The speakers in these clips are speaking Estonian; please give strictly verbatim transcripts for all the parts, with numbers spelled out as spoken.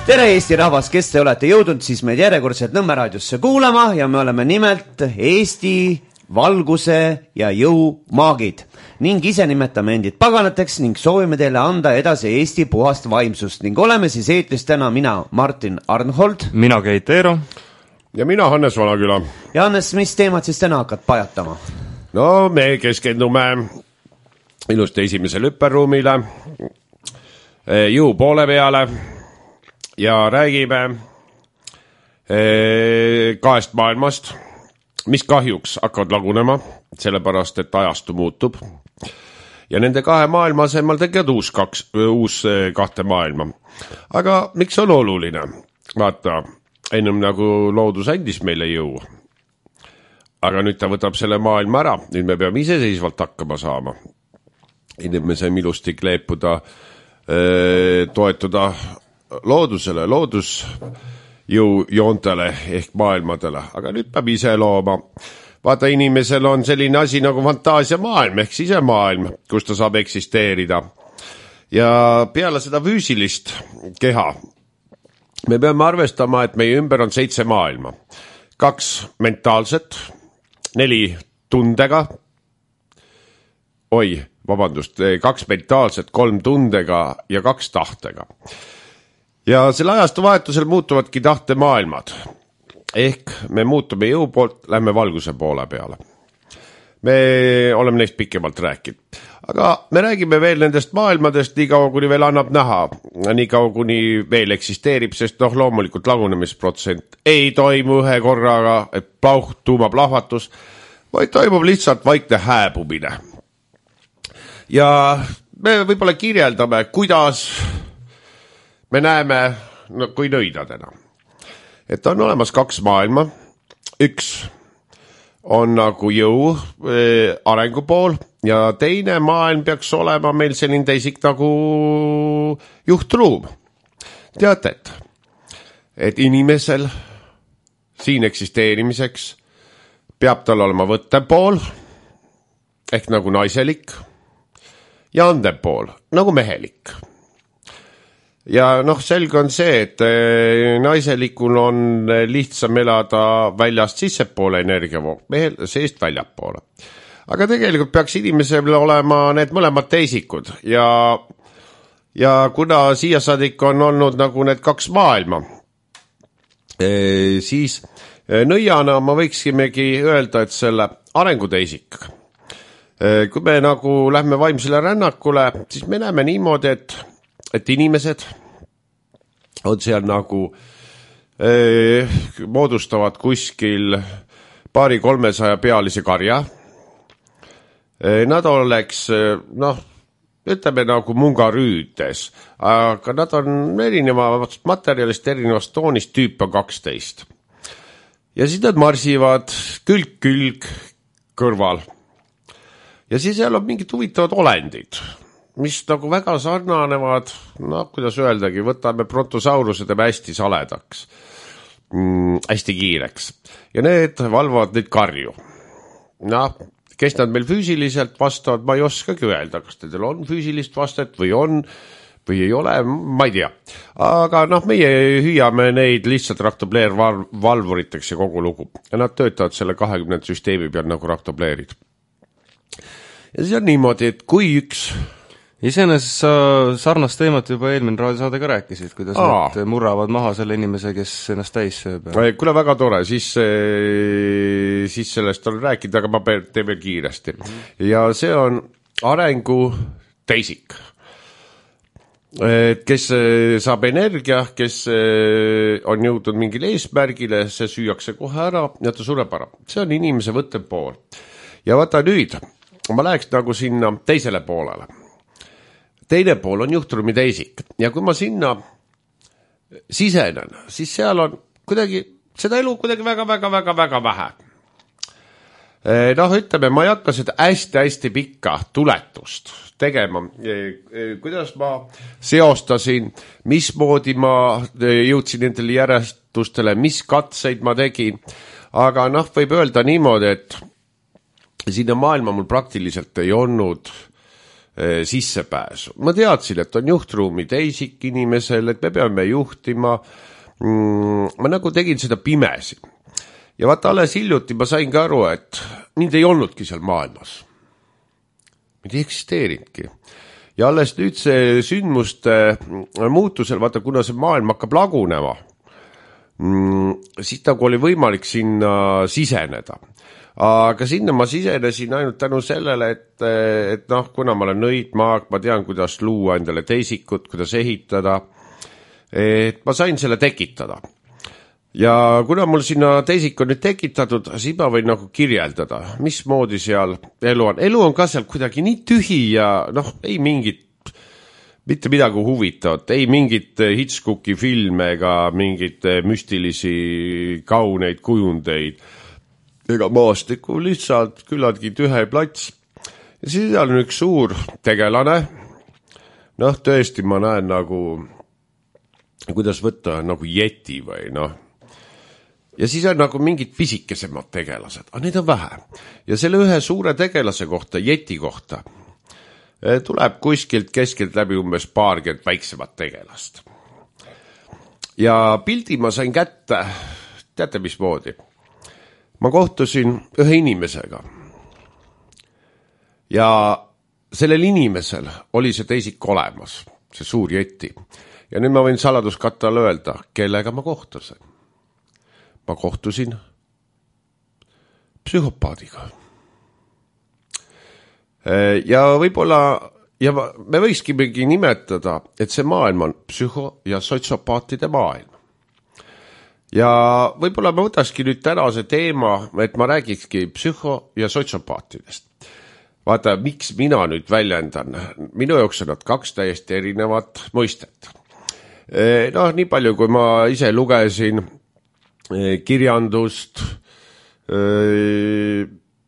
tere Eesti rahvas, kes te olete jõudnud siis meid järjekordselt Nõmme raadiosse kuulama ja me oleme nimelt Eesti valguse ja jõu maagid ning ise nimetame endid paganateks ning soovime teile anda edasi Eesti puhast vaimsust ning oleme siis eetris täna mina, Martin Arnhold, mina Keit Eero ja mina Hannes Valaküla. Ja Hannes, mis teemad siis täna hakkad pajatama? No me keskendume ilusti esimesele hüpperuumile, jõu poole peale ja räägime kahest maailmast, mis kahjuks hakkavad lagunema, sellepärast et ajastu muutub. Ja nende kahe maailma asemel tegevad uus, kaks, uus kahte maailma. Aga miks on oluline? Vaata, ennem nagu loodus andis meile jõu. Aga nüüd ta võtab selle maailma ära. Nüüd me peame iseseisvalt hakkama saama. Nüüd me saime ilusti kleepuda, toetuda loodusele, loodus jõu joontele ehk maailmadele, aga nüüd peab ise looma. Vaata, inimesel on selline asi nagu fantaasia maailm ehk sisemaailm, kus ta saab eksisteerida. Ja peale seda füüsilist keha me peame arvestama, et meie ümber on seitse maailma. Kaks mentaalset, neli tundega, oi, vabandust, kaks mentaalset, kolm tundega ja kaks tahtega. Ja selle ajastu vahetusel muutuvadki tahte maailmad. Ehk me muutume jõu poolt, lähme valguse poole peale. Me oleme neist pikemalt rääkinud. Aga me räägime veel nendest maailmadest nii kaua, kuni veel annab näha. Nii kaua, kuni veel eksisteerib, sest noh, loomulikult lagunemisprotsent ei toimu ühe korraga, et plauh, tuuma plahvatus, vaid toimub lihtsalt vaikne hääbumine. Ja me võib-olla kirjeldame, kuidas me näeme no, kui nõidadena. Et on olemas kaks maailma. Üks on nagu jõu e, arengu pool ja teine maailm peaks olema meil selline teisik nagu juhtruum. Teate, et, et inimesel siin eksisteerimiseks peab tal olema võttepool ehk nagu naiselik ja andepool nagu mehelik. Ja noh, selge on see, et naiselikul on lihtsam elada väljast sissepoole energiavoog, mehel seest väljapoole. Aga tegelikult peaks inimesel olema need mõlemad teisikud ja, ja kuna siia saadik on olnud nagu need kaks maailma, siis nõiana ma võiksimegi öelda, et selle arenguteisik. Kui me nagu lähme vaimsele rännakule, siis me näeme niimoodi, et et inimesed on seal nagu eh, moodustavad kuskil paari kolmesaja pealise karja. Eh, nad oleks, noh, ütleme nagu mungarüüdes, aga nad on erinevast materjalist, erinevast toonist, tüüp on kaksteist. Ja siis nad marsivad külg-külg kõrval. Ja siis seal on mingid huvitavad olendid, mis nagu väga sarnanevad, no kuidas öeldagi, võtame brontosauruse teeme hästi saledaks, mm, hästi kiireks. Ja need valvavad neid karju. Noh, kes nad meil füüsiliselt vastavad, ma ei oskagi öelda, kas teil on füüsilist vastet või on, või ei ole, ma ei tea. Aga noh, meie hüüame neid lihtsalt raktobleer-valvuriteks ja kogu lugu. Ja nad töötavad selle kahekümnenda süsteemi peal nagu raktobleerid. Ja siis on niimoodi, et kui üks Iseenesest sa sarnast teemat juba eelmine raadiosaade ka rääkisid, kuidas Aa. nad murravad maha selle inimese, kes ennast täis sööb. Kuule, väga tore, siis, siis sellest on rääkinud, aga ma teen veel kiiresti. Ja see on arengu teisik, kes saab energia, kes on jõudnud mingile eesmärgile, see süüakse kohe ära ja ta sureb ära. See on inimese võttepool. Ja vaata nüüd, ma läheks nagu sinna teisele poolele. Teine pool on juhtruumi teisik ja kui ma sinna sisenen, siis seal on kuidagi, seda elu kuidagi väga-väga-väga-väga vähe. Noh, ütleme, ma ei hakka seda hästi-hästi pikka tuletust tegema. Kuidas ma seostasin, mismoodi ma jõudsin nendele järjestustele, mis katseid ma tegin, aga noh, võib öelda niimoodi, et sinna maailma mul praktiliselt ei olnud sissepääsu. Ma teadsin, et on juhtruumi teisik inimesel, et me peame juhtima. Ma nagu tegin seda pimesi. Ja vaata, alles hiljuti ma sain ka aru, et mind ei olnudki seal maailmas. Mind ei eksisteerinudki. Ja alles nüüd see sündmuste muutusel, vaata, kuna see maailm hakkab lagunema, siis nagu oli võimalik sinna siseneda. Aga sinna ma sisenesin ainult tänu sellele, et, et noh, kuna ma olen nõidmaag, ma tean, kuidas luua endale teisikut, kuidas ehitada, et ma sain selle tekitada. Ja kuna mul sinna teisik on nüüd tekitatud, siis ma võin nagu kirjeldada, mismoodi seal elu on. Elu on ka seal kuidagi nii tühi ja noh, ei mingit, mitte midagi huvitavat, ei mingit Hitchcocki filme ega mingit müstilisi kauneid kujundeid ega maastiku, lihtsalt küllaltki tühe plats. Ja siis on üks suur tegelane. Noh, tõesti ma näen nagu, kuidas võtta, nagu jeti või noh. Ja siis on nagu mingid pisikesemad tegelased, aga neid on vähe. Ja selle ühe suure tegelase kohta, jeti kohta, tuleb kuskilt keskelt läbi umbes paarkümmend väiksemat tegelast. Ja pildi ma sain kätte, teate mismoodi? Ma kohtusin ühe inimesega ja sellel inimesel oli see teisik olemas, see suur jeti. Ja nüüd ma võin saladuskattal öelda, kellega ma kohtusin. Ma kohtusin psühhopaadiga. Ja võib-olla, ja me võikskimegi nimetada, et see maailm on psühho- ja sotsiopaatide maailm. Ja võib-olla ma võtakski nüüd tänase teema, et ma räägikski psühho- ja sotsiopaatidest. Vaata, miks mina nüüd väljendan? Minu jaoks on nad kaks täiesti erinevat mõistet. Noh, nii palju, kui ma ise lugesin kirjandust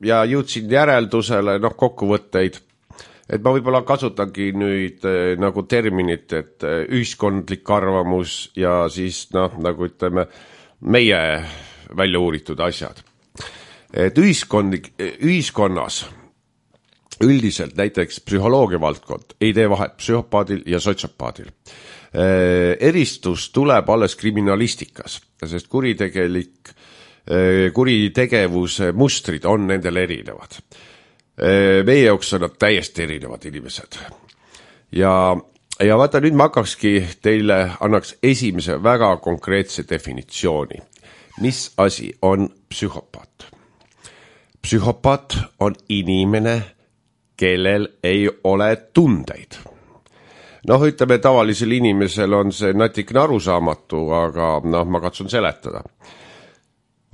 ja jõudsin järeldusele, noh, kokkuvõtteid, et ma võib-olla kasutangi nüüd nagu terminit, et ühiskondlik arvamus ja siis, noh, nagu ütleme, meie välja uuritud asjad. Et ühiskondlik, ühiskonnas üldiselt näiteks psühholoogia valdkond ei tee vahet psühhopaadil ja sotsiopaadil. Eristus tuleb alles kriminalistikas, sest kuritegelik, kuritegevuse mustrid on nendel erinevad. Meie jaoks on nad täiesti erinevad inimesed. Ja, ja vaata, nüüd ma hakkakski teile, annaks esimese väga konkreetse definitsiooni. Mis asi on psühhopaat? Psühhopaat on inimene, kellel ei ole tundeid. Noh, ütleme, tavalisel inimesel on see natikene arusaamatu, aga noh, ma katsun seletada.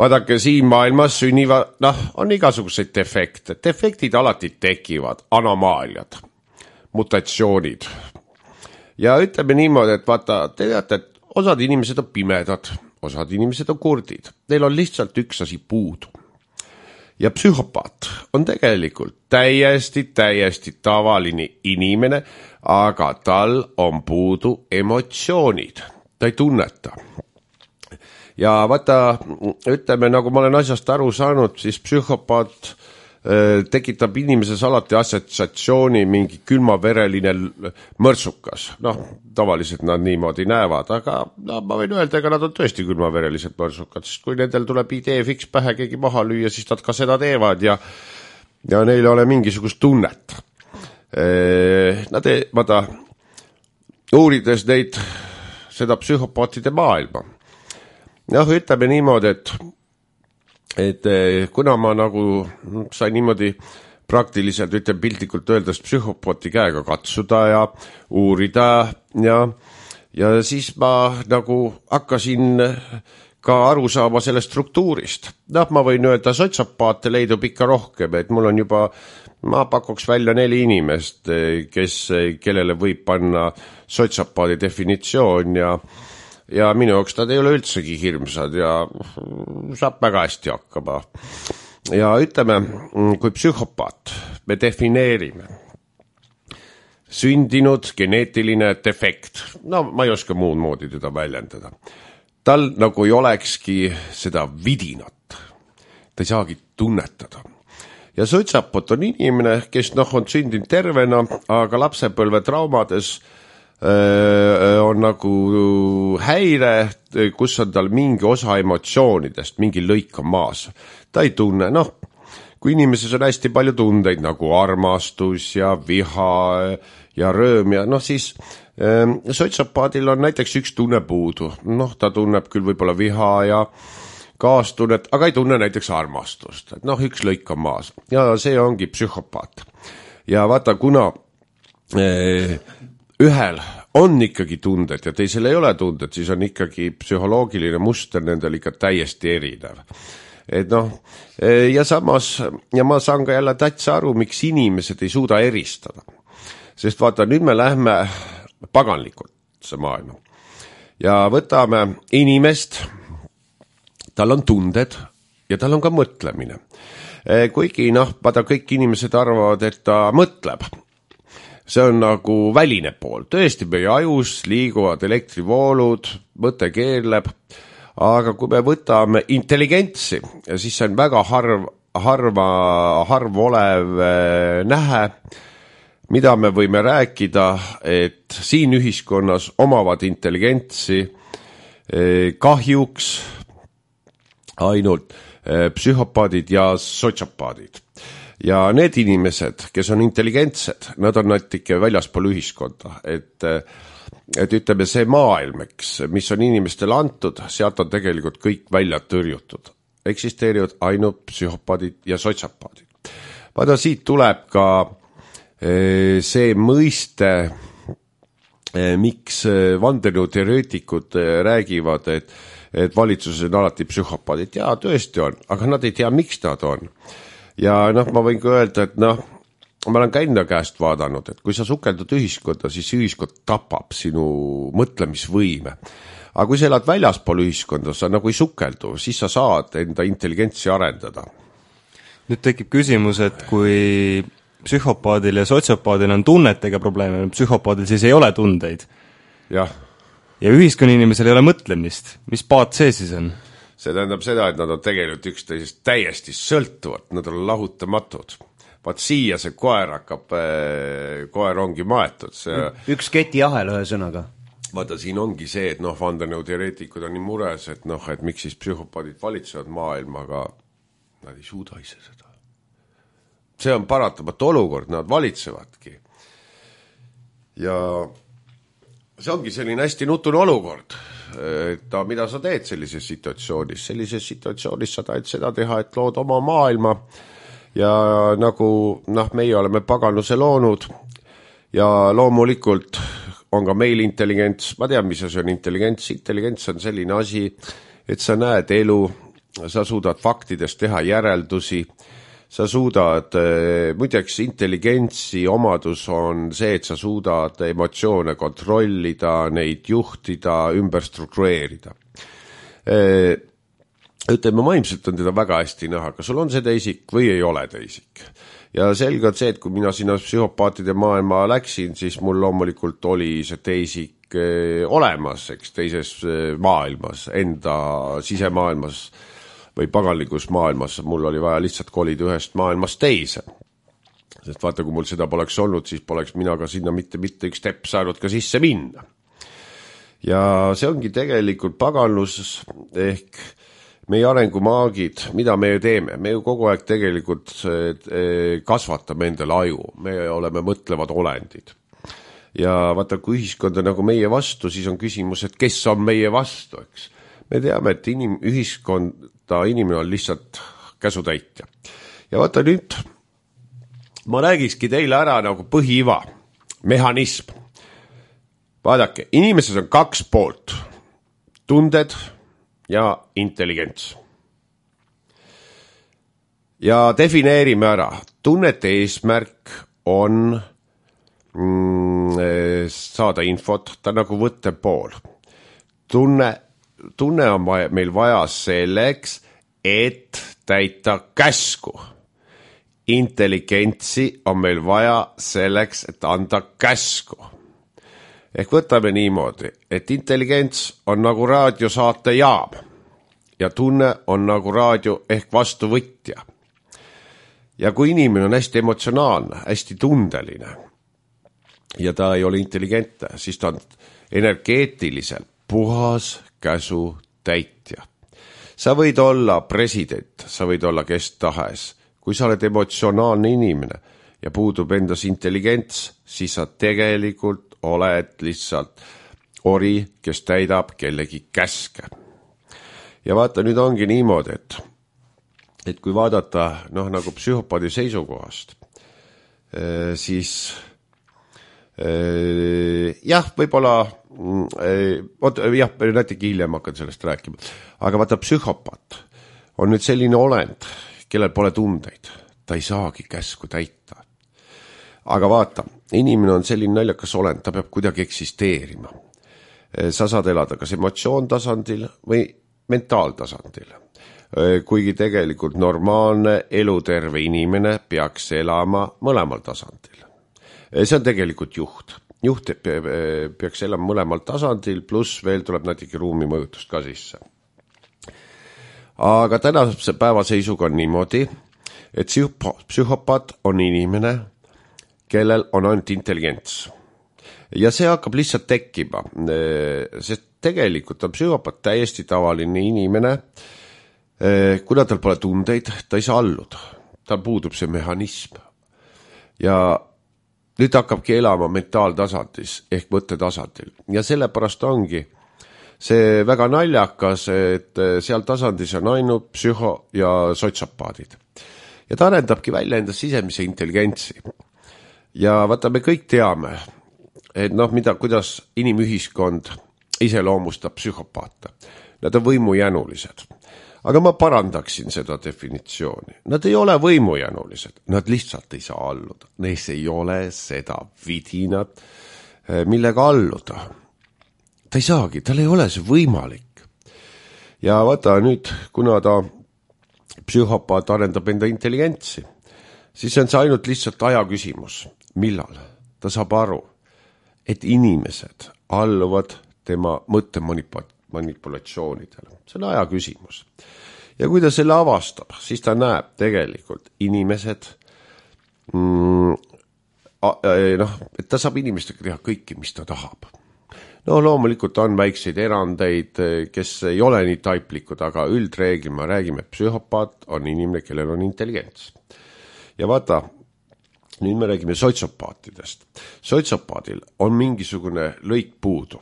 Vaadake, siin maailmas sünniva, noh, on igasuguseid defekte. Defektid alati tekivad, anomaaliad, mutatsioonid. Ja ütleme niimoodi, et vaata, te teate, et osad inimesed on pimedad, osad inimesed on kurdid. Neil on lihtsalt üks asi puudu. Ja psühhopaat on tegelikult täiesti, täiesti tavaline inimene, aga tal on puudu emotsioonid. Ta ei tunneta. Ja vaata, ütleme, nagu ma olen asjast aru saanud, siis psühhopaat äh, tekitab inimeses alati assotsiatsiooni mingi külmavereline mõrtsukas. Noh, tavaliselt nad niimoodi näevad, aga no, ma võin öelda, ega nad on tõesti külmaverelised mõrtsukad, sest kui nendel tuleb idee fiks pähe keegi maha lüüa, siis nad ka seda teevad ja, ja neil ei ole mingisugust tunnet. Äh, nad ei, vaata, uurides neid, seda psühhopaatide maailma, noh, ütleme niimoodi, et, et kuna ma nagu sain niimoodi praktiliselt, ütleme piltlikult öeldes psühhopaati käega katsuda ja uurida ja, ja siis ma nagu hakkasin ka aru saama sellest struktuurist. Noh, ma võin öelda, sotsiopaate leidub ikka rohkem, et mul on juba, ma pakuks välja neli inimest, kes, kellele võib panna sotsiopaadi definitsioon ja ja minu jaoks nad ei ole üldsegi hirmsad ja saab väga hästi hakkama. Ja ütleme, kui psühhopaat me defineerime sündinud geneetiline defekt, no ma ei oska muud moodi teda väljendada, tal nagu ei olekski seda vidinat, ta ei saagi tunnetada. ja sotsapot on inimene, kes noh, on sündinud tervena, aga lapsepõlve traumades öö, on nagu häire, kus on tal mingi osa emotsioonidest, mingi lõik on maas. Ta ei tunne, noh, kui inimeses on hästi palju tundeid nagu armastus ja viha ja rööm ja noh, siis öö, sotsapaadil on näiteks üks tunne puudu. Noh, ta tunneb küll võib-olla viha ja kaastunnet, aga ei tunne näiteks armastust. Et noh, üks lõik on maas. Ja see ongi psühhopaat. Ja vaata, kuna eh, ühel on ikkagi tunded ja teisel ei ole tunded, siis on ikkagi psühholoogiline muster nendel ikka täiesti erinev. Et noh, eh, ja samas, ja ma saan ka jälle täitsa aru, miks inimesed ei suuda eristada. Sest vaata, nüüd me lähme paganlikult see maailma. Ja võtame inimest, tal on tunded ja tal on ka mõtlemine. Kuigi noh, vaata kõik inimesed arvavad, et ta mõtleb. See on nagu väline pool. Tõesti meie ajus liiguvad elektrivoolud, mõte keerleb, aga kui me võtame intelligentsi, siis see on väga harv, harva, harv olev nähe, mida me võime rääkida, et siin ühiskonnas omavad intelligentsi kahjuks ainult psühhopaadid ja sotsapaadid. Ja need inimesed, kes on intelligentsed, nad on natuke väljaspool ühiskonda, et, et ütleme see maailm, mis on inimestele antud, sealt on tegelikult kõik välja tõrjutud. Eksisteerivad ainult psühhopaadid ja sotsapaadid. Vaata, siit tuleb ka see mõiste, miks vandenõuteoreetikud räägivad, et et valitsuses on alati psühhopaadid. Jaa, tõesti on, aga nad ei tea, miks nad on. Ja noh, ma võin ka öelda, et noh, ma olen käinud käest vaadanud, et kui sa sukeldud ühiskonda, siis ühiskond tapab sinu mõtlemisvõime. Aga kui sa elad väljaspool ühiskonda, sa nagu ei sukeldu, siis sa saad enda intelligentsi arendada. Nüüd tekib küsimus, et kui psühhopaadil ja sotsiopaadil on tunnetega probleeme, psühhopaadil siis ei ole tundeid. Jah. Ja ühiskonna inimesel ei ole mõtlemist. Mis paat see siis on? See tähendab seda, et nad on tegelikult üksteisest täiesti sõltuvad, nad on lahutamatud. Vaat siia see koer hakkab, koer ongi maetud. See... Üks ketiahel ühe sõnaga. Vaata, siin ongi see, et noh, vandenõuteoreetikud on nii mures, et noh, et miks siis psühhopaadid valitsevad maailma, aga nad ei suuda ise seda. See on paratamatu olukord, nad valitsevadki. Ja see ongi selline hästi nutune olukord, et mida sa teed sellises situatsioonis. Sellises situatsioonis sa tahad seda teha, et lood oma maailma ja nagu noh, meie oleme paganuse loonud ja loomulikult on ka meil intelligents. Ma tean, mis see on intelligents. Intelligents on selline asi, et sa näed elu, sa suudad faktidest teha järeldusi, sa suudad, muideks intelligentsi omadus on see, et sa suudad emotsioone kontrollida, neid juhtida, ümber struktureerida. Ütleme, vaimselt on teda väga hästi näha, kas sul on see teisik või ei ole teisik. Ja selge on see, et kui mina sinna psühhopaatide maailma läksin, siis mul loomulikult oli see teisik olemas, eks, teises maailmas, enda sisemaailmas või paganlikus maailmas, mul oli vaja lihtsalt kolida ühest maailmast teise. Sest vaata, kui mul seda poleks olnud, siis poleks mina ka sinna mitte, mitte üks tepp saanud ka sisse minna. Ja see ongi tegelikult paganlus ehk meie arengumaagid, mida me ju teeme. Me ju kogu aeg tegelikult kasvatame endale aju. Me oleme mõtlevad olendid. Ja vaata, kui ühiskond on nagu meie vastu, siis on küsimus, et kes on meie vastu, eks. Me teame, et inim, ühiskonda inimene on lihtsalt käsutäitja. Ja vaata nüüd, ma räägikski teile ära nagu põhiiva, mehhanism. Vaadake, inimeses on kaks poolt, tunded ja intelligents. Ja defineerime ära, tunnete eesmärk on mm, saada infot, ta nagu võttepool. Tunne Tunne on vaja, meil vaja selleks, et täita käsku. Intelligentsi on meil vaja selleks, et anda käsku. Ehk võtame niimoodi, et intelligents on nagu raadiosaate jaam ja tunne on nagu raadio ehk vastuvõtja. ja kui inimene on hästi emotsionaalne, hästi tundeline ja ta ei ole intelligentne, siis ta on energeetiliselt puhas käsu täitja. Sa võid olla president, sa võid olla kes tahes. Kui sa oled emotsionaalne inimene ja puudub endas intelligents, siis sa tegelikult oled lihtsalt ori, kes täidab kellegi käske. Ja vaata, nüüd ongi niimoodi, et, et kui vaadata noh, nagu psühhopaadi seisukohast, siis jah, võib-olla oot, jah, natuke hiljem hakkan sellest rääkima, aga vaata, psühhopaat on nüüd selline olend, kellel pole tundeid, ta ei saagi käsku täita. Aga vaata, inimene on selline naljakas olend, ta peab kuidagi eksisteerima. Sa saad elada kas emotsioontasandil või mentaaltasandil. Kuigi tegelikult normaalne eluterve inimene peaks elama mõlemal tasandil. See on tegelikult juht. Juht peaks elama mõlemal tasandil, pluss veel tuleb natuke ruumi mõjutust ka sisse. Aga tänase päeva seisuga on niimoodi, et psühhopaat on inimene, kellel on ainult intelligents. Ja see hakkab lihtsalt tekkima, sest tegelikult on psühhopaat täiesti tavaline inimene, kuna tal pole tundeid, ta ei saa alluda, tal puudub see mehhanism. Ja nüüd hakkabki elama mentaaltasandis ehk mõttetasandil ja sellepärast ongi see väga naljakas, et seal tasandis on ainult psühho- ja sotsiopaadid. Ja ta arendabki välja enda sisemise intelligentsi. Ja vaata, me kõik teame, et noh, mida, kuidas inimühiskond iseloomustab psühhopaate. Nad on võimujänulised. Aga ma parandaksin seda definitsiooni. Nad ei ole võimujänulised. Nad lihtsalt ei saa alluda. Neis ei ole seda vidinat, millega alluda. Ta ei saagi, tal ei ole see võimalik. Ja vaata nüüd, kuna ta psühhopaat arendab enda intelligentsi, siis on see ainult lihtsalt aja küsimus. Millal? Ta saab aru, et inimesed alluvad tema mõtte manipulatsioonidele. See on aja küsimus. Ja kui ta selle avastab, siis ta näeb tegelikult inimesed, mm, noh, et ta saab inimestega teha kõike, mis ta tahab. No loomulikult on väikseid erandeid, kes ei ole nii taiplikud, aga üldreegli me räägime, et psühhopaat on inimene, kellel on intelligents. Ja vaata, nüüd me räägime sotsiopaatidest. Sotsiopaadil on mingisugune lõik puudu.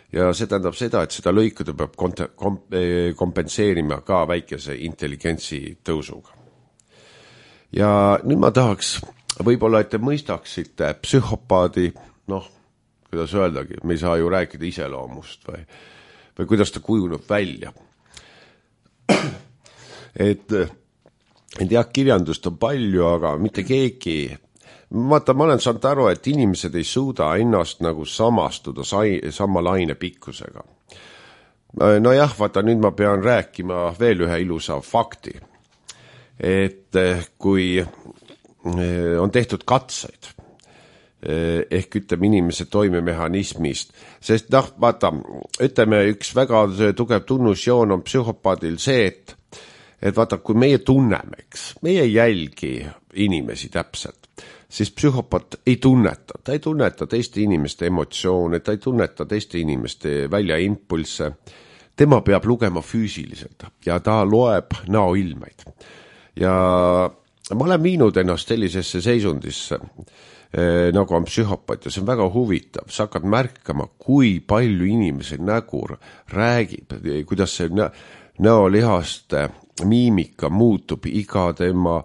Ja see tähendab seda, et seda lõikuda peab kompenseerima ka väikese intelligentsi tõusuga. Ja nüüd ma tahaks võib-olla, et te mõistaksite psühhopaadi, noh, kuidas öeldagi, me ei saa ju rääkida iseloomust või, või kuidas ta kujuneb välja. Et, et jah, kirjandust on palju, aga mitte keegi. Vaata, ma olen saanud aru, et inimesed ei suuda ennast nagu samastuda sai, sama laine pikkusega. No jah, vaata, nüüd ma pean rääkima veel ühe ilusa fakti. Et kui on tehtud katseid, ehk ütleme inimese toimemehhanismist, sest noh, vaata, ütleme üks väga tugev tunnusjoon on psühhopaadil see, et, et vaata, kui meie tunneme, eks, meie jälgi inimesi täpselt, siis psühhopaat ei tunneta, ta ei tunneta teiste inimeste emotsioone, ta ei tunneta teiste inimeste välja impulsse, tema peab lugema füüsiliselt ja ta loeb näoilmeid. Ja ma olen viinud ennast sellisesse seisundisse, nagu on psühhopaat ja see on väga huvitav. Sa hakkad märkama, kui palju inimese nägur räägib, kuidas see näolihaste miimika muutub iga tema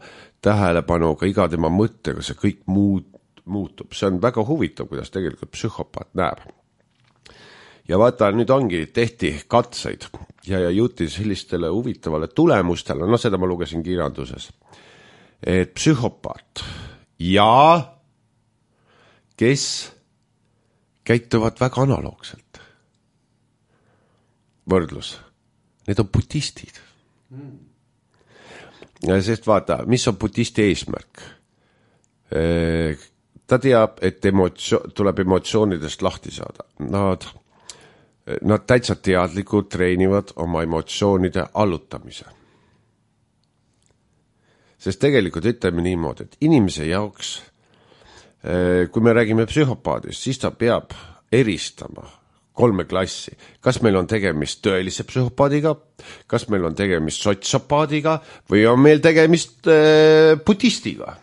tähelepanuga, iga tema mõttega, see kõik muutub. See on väga huvitav, kuidas tegelikult psühhopaat näeb. Ja vaata, nüüd ongi tehti katseid ja, ja jõuti sellistele huvitavale tulemustele, no seda ma lugesin kirjanduses, et psühhopaat ja kes käituvad väga analoogselt. Võrdlus. Need on budistid. Mm. Sest vaata, mis on budisti eesmärk? Ta teab, et emotsio- tuleb emotsioonidest lahti saada. Nad, nad täitsa teadlikult treenivad oma emotsioonide allutamise. sest tegelikult ütleme niimoodi, et inimese jaoks, kui me räägime psühhopaadist, siis ta peab eristama kolme klassi. Kas meil on tegemist tõelise psühhopaadiga, kas meil on tegemist sotsopaadiga või on meil tegemist äh, budistiga.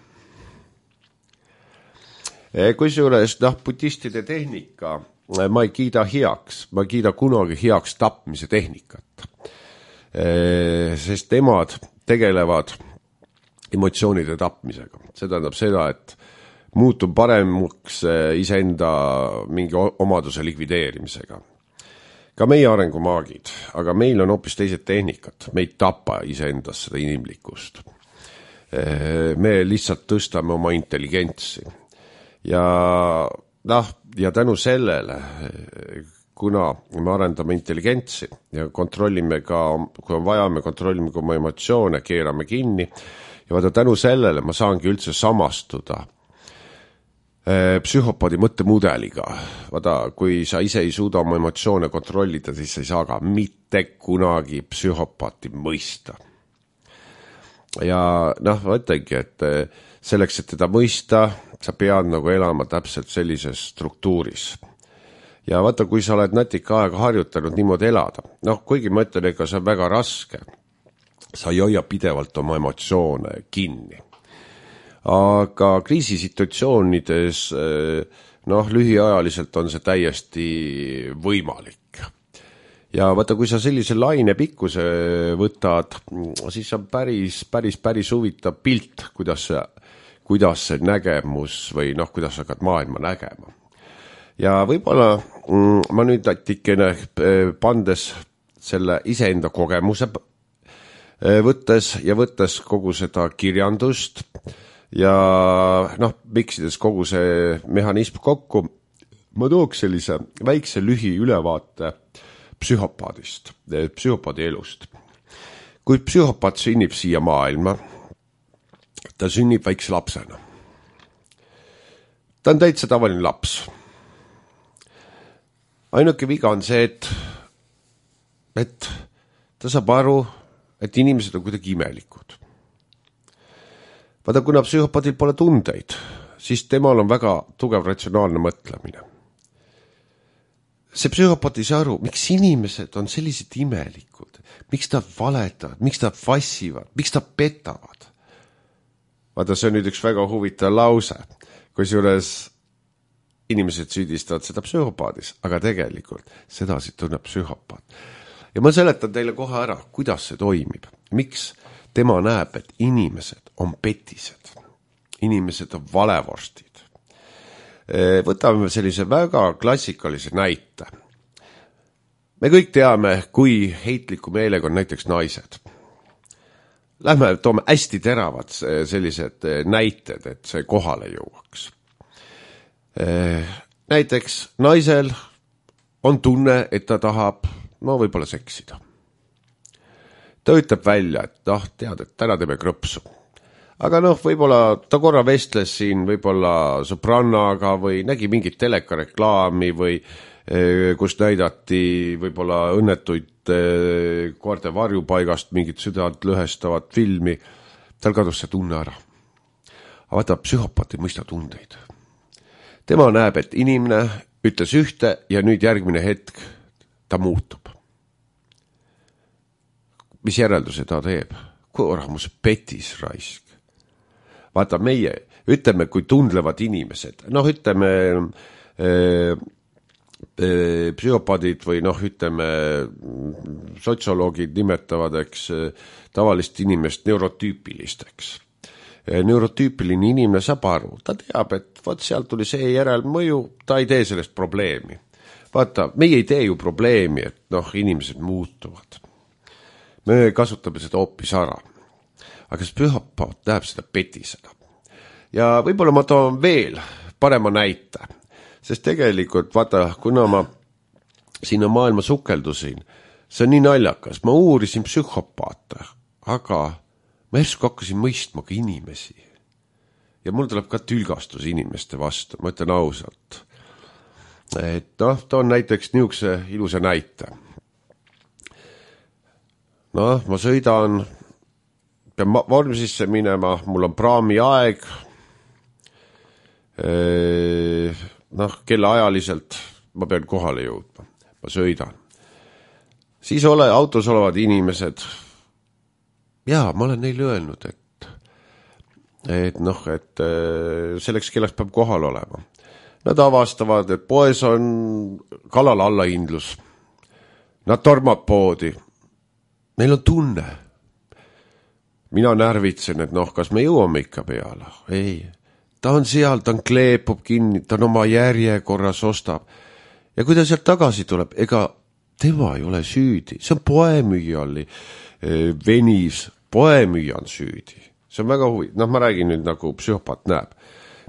Kusjuures noh, budistide tehnika ma ei kiida heaks, ma ei kiida kunagi heaks tapmise tehnikat. Sest nemad tegelevad emotsioonide tapmisega. See tähendab seda, et muutub paremaks iseenda mingi omaduse likvideerimisega. Ka meie arengumaagid, aga meil on hoopis teised tehnikat. Me ei tapa iseendas seda inimlikkust. Me lihtsalt tõstame oma intelligentsi. Ja, noh, ja tänu sellele, kuna me arendame intelligentsi ja kontrollime ka, kui on vaja, me kontrollime ka oma emotsioone, keerame kinni ja vaata tänu sellele ma saangi üldse samastuda psühhopaadi mõttemudeliga. Vaata, kui sa ise ei suuda oma emotsioone kontrollida, siis sa ei saa ka mitte kunagi psühhopaati mõista. Ja noh, ma ütlengi, et selleks, et teda mõista, sa pead nagu elama täpselt sellises struktuuris. Ja vaata, kui sa oled natika aega harjutanud niimoodi elada, noh, kuigi ma ütlen, ega see on väga raske, sa ei hoia pidevalt oma emotsioone kinni. Aga kriisisituatsioonides, noh, lühiajaliselt on see täiesti võimalik. Ja vaata, kui sa sellise laine pikkuse võtad, siis on päris, päris, päris huvitav pilt, kuidas see, kuidas see nägemus või noh, kuidas sa hakkad maailma nägema. Ja võib-olla mm, ma nüüd natikene pandes selle iseenda kogemuse võttes ja võttes kogu seda kirjandust ja noh, miksides kogu see mehhanism kokku, ma tooks sellise väikse lühi ülevaate psühhopaadist, psühhopaadi elust. Kui psühhopaat sünnib siia maailma, ta sünnib väikse lapsena. Ta on täitsa tavaline laps. Ainuke viga on see, et, et ta saab aru, et inimesed on kuidagi imelikud. Vaata, kuna psühhopaadil pole tundeid, siis temal on väga tugev ratsionaalne mõtlemine. See psühhopaat ei saa aru, miks inimesed on sellised imelikud, miks ta valetavad, miks ta vassivad, miks ta petavad. Vaata, see on nüüd üks väga huvitav lause, kusjuures inimesed süüdistavad seda psühhopaadis, aga tegelikult sedasi tunneb psühhopaat. Ja ma seletan teile kohe ära, kuidas see toimib. Miks tema näeb, et inimesed on petised, inimesed on valevorstid. Võtame sellise väga klassikalise näite. Me kõik teame, kui heitliku meelega on näiteks naised. Lähme toome hästi teravad sellised näited, et see kohale jõuaks. Näiteks naisel on tunne, et ta tahab, no võib-olla seksida. Ta ütleb välja, et noh, tead, et täna teeme krõpsu. Aga noh, võib-olla ta korra vestles siin võib-olla sõbrannaga või nägi mingit telekareklaami või kus näidati võib-olla õnnetuid koerte varjupaigast mingit südant lõhestavat filmi. Tal kadus see tunne ära. Aga vaata, psühhopaat ei mõista tundeid. Tema näeb, et inimene ütles ühte ja nüüd järgmine hetk ta muutub. Mis järelduse ta teeb? Korramus petis raisk. Vaata, meie ütleme, kui tundlevad inimesed, noh, ütleme äh, äh, psühhopaadid või noh, ütleme sotsioloogid nimetavad, eks, tavalist inimest neurotüüpilisteks. Neurotüüpiline inimene saab aru, ta teab, et vaat sealt tuli see järelmõju, ta ei tee sellest probleemi. Vaata, meie ei tee ju probleemi, et noh, inimesed muutuvad. Me kasutame seda hoopis ära. Aga see psühhopaat näeb seda petisena. Ja võib-olla ma toon veel parema näite, sest tegelikult, vaata, kuna ma sinna maailma sukeldusin, see on nii naljakas, ma uurisin psühhopaate, aga ma järsku hakkasin mõistma ka inimesi. Ja mul tuleb ka tülgastus inimeste vastu, ma ütlen ausalt. Et noh, toon näiteks niisuguse ilusa näite. Noh, ma sõidan pean vormsisse minema, mul on praami aeg, noh, kellaajaliselt ma pean kohale jõudma, ma sõidan. Siis ole, autos olevad inimesed, jaa, ma olen neile öelnud, et, et noh, et selleks kellaks peab kohal olema. Nad avastavad, et poes on kalal allahindlus. Nad tormab poodi. Neil on tunne. Mina närvitsen, et noh, kas me jõuame ikka peale? Ei. Ta on seal, ta on kleepub kinni, ta on oma järjekorras ostab. Ja kui ta sealt tagasi tuleb, ega tema ei ole süüdi. See on poemüüja oli venis, poemüüja on süüdi. See on väga huvi. Noh, ma räägin nüüd nagu psühhopaat näeb.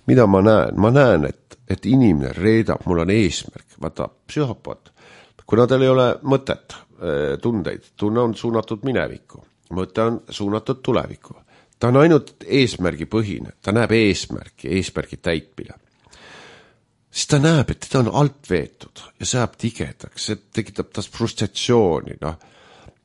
Mida ma näen? Ma näen, et, et inimene reedab, mul on eesmärk. Vaata, psühhopaat, kuna tal ei ole mõtet, tundeid, tunne on suunatud minevikku, mõte on suunatud tulevikku. Ta on ainult eesmärgi põhine, ta näeb eesmärki, eesmärgi täitmine. Siis ta näeb, et teda on alt veetud ja see jääb tigedaks, see tekitab tas frustratsiooni. No.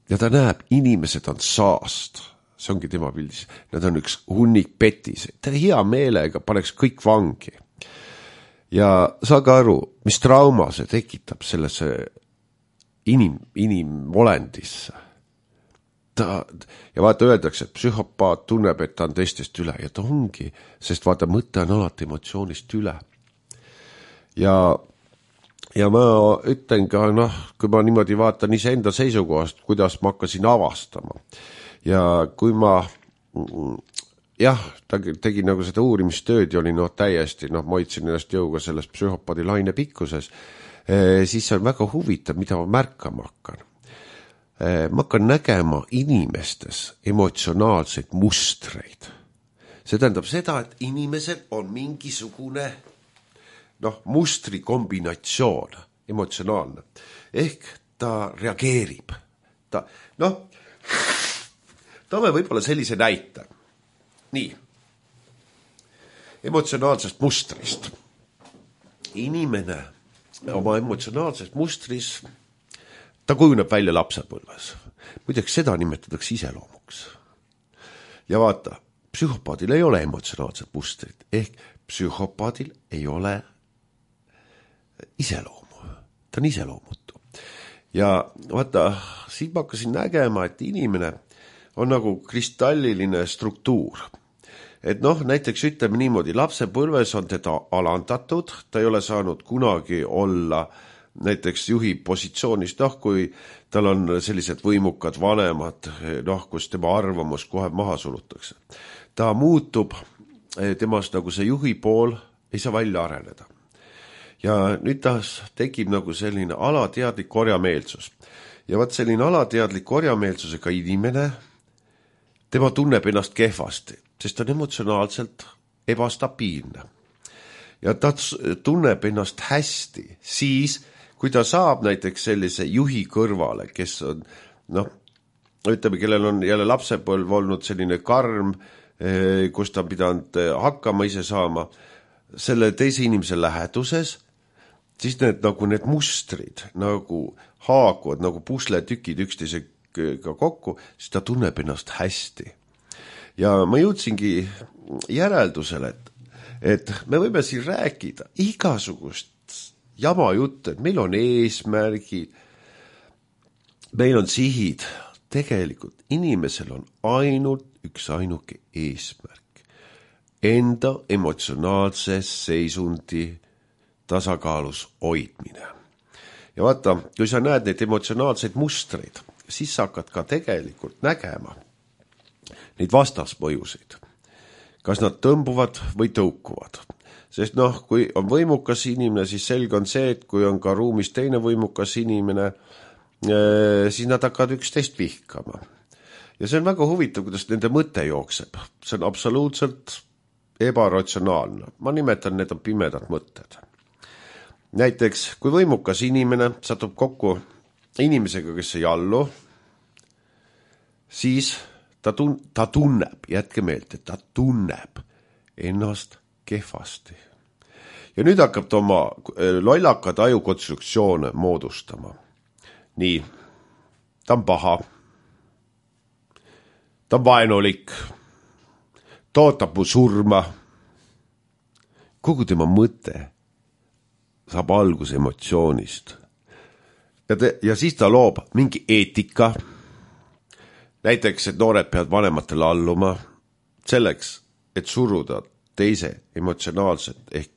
Ja ta näeb, inimesed on saast, see ongi tema pildis, nad on üks hunnik petis, ta hea meelega paneks kõik vangi. Ja saage aru, mis trauma see tekitab sellesse inim, inimolendisse. Ta, ja vaata öeldakse, et psühhopaat tunneb, et ta on teistest üle ja ta ongi, sest vaata mõte on alati emotsioonist üle. Ja, ja ma ütlen ka, noh, kui ma niimoodi vaatan iseenda seisukohast, kuidas ma hakkasin avastama. Ja kui ma, jah, ta tegi nagu seda uurimistööd ja oli noh täiesti, noh, ma hoidsin ennast jõuga selles psühhopaadi laine pikkuses, siis see on väga huvitav, mida ma märkama hakkan. Ma hakkan nägema inimestes emotsionaalseid mustreid. See tähendab seda, et inimesel on mingisugune noh, mustri kombinatsioon, emotsionaalne. Ehk ta reageerib. Ta, noh, toome võib-olla sellise näite. Nii, emotsionaalsest mustrist. Inimene oma emotsionaalsest mustris ta kujuneb välja lapsepõlves. Muideks seda nimetatakse iseloomuks. Ja vaata, psühhopaadil ei ole emotsionaalset mustrit, ehk psühhopaadil ei ole iseloomu. Ta on iseloomutu. Ja vaata, siin ma hakkasin nägema, et inimene on nagu kristalliline struktuur. Et noh, näiteks ütleme niimoodi, lapsepõlves on teda alandatud, ta ei ole saanud kunagi olla näiteks juhi positsioonist, noh, kui tal on sellised võimukad vanemad, noh, kus tema arvamus kohe maha sulutakse. Ta muutub, temast nagu see juhi pool ei saa välja areneda. Ja nüüd ta tekib nagu selline alateadlik korjameelsus. Ja vaat selline alateadlik korjameelsusega inimene, tema tunneb ennast kehvasti, sest ta on emotsionaalselt ebastabiilne. Ja ta tunneb ennast hästi, siis kui ta saab näiteks sellise juhi kõrvale, kes on, noh, ütleme, kellel on jälle lapsepõlv olnud selline karm, kus ta on pidanud hakkama ise saama, selle teise inimese läheduses, siis need, nagu need mustrid nagu haakuvad, nagu pusletükid üksteisega kokku, siis ta tunneb ennast hästi. Ja ma jõudsingi järeldusele, et, et me võime siin rääkida igasugust jama jutt, et meil on eesmärgid, meil on sihid. Tegelikult inimesel on ainult üks ainuke eesmärk. Enda emotsionaalse seisundi tasakaalus hoidmine. Ja vaata, kui sa näed neid emotsionaalseid mustreid, siis sa hakkad ka tegelikult nägema neid vastasmõjusid. Kas nad tõmbuvad või tõukuvad. Sest noh, kui on võimukas inimene, siis selge on see, et kui on ka ruumis teine võimukas inimene, siis nad hakkavad üksteist vihkama. Ja see on väga huvitav, kuidas nende mõte jookseb. See on absoluutselt ebaratsionaalne. Ma nimetan, need on pimedad mõtted. Näiteks, kui võimukas inimene satub kokku inimesega, kes ei allu, siis ta, tun- ta tunneb, jätke meelt, et ta tunneb ennast kehvasti. Ja nüüd hakkab ta oma lollakad ajukonstruktsioone moodustama. Nii, ta on paha. ta on vaenulik, ta ootab mu surma. Kogu tema mõte saab alguse emotsioonist. Ja, te, ja siis ta loob mingi eetika. Näiteks, et noored peavad vanematele alluma selleks, et suruda teise emotsionaalset ehk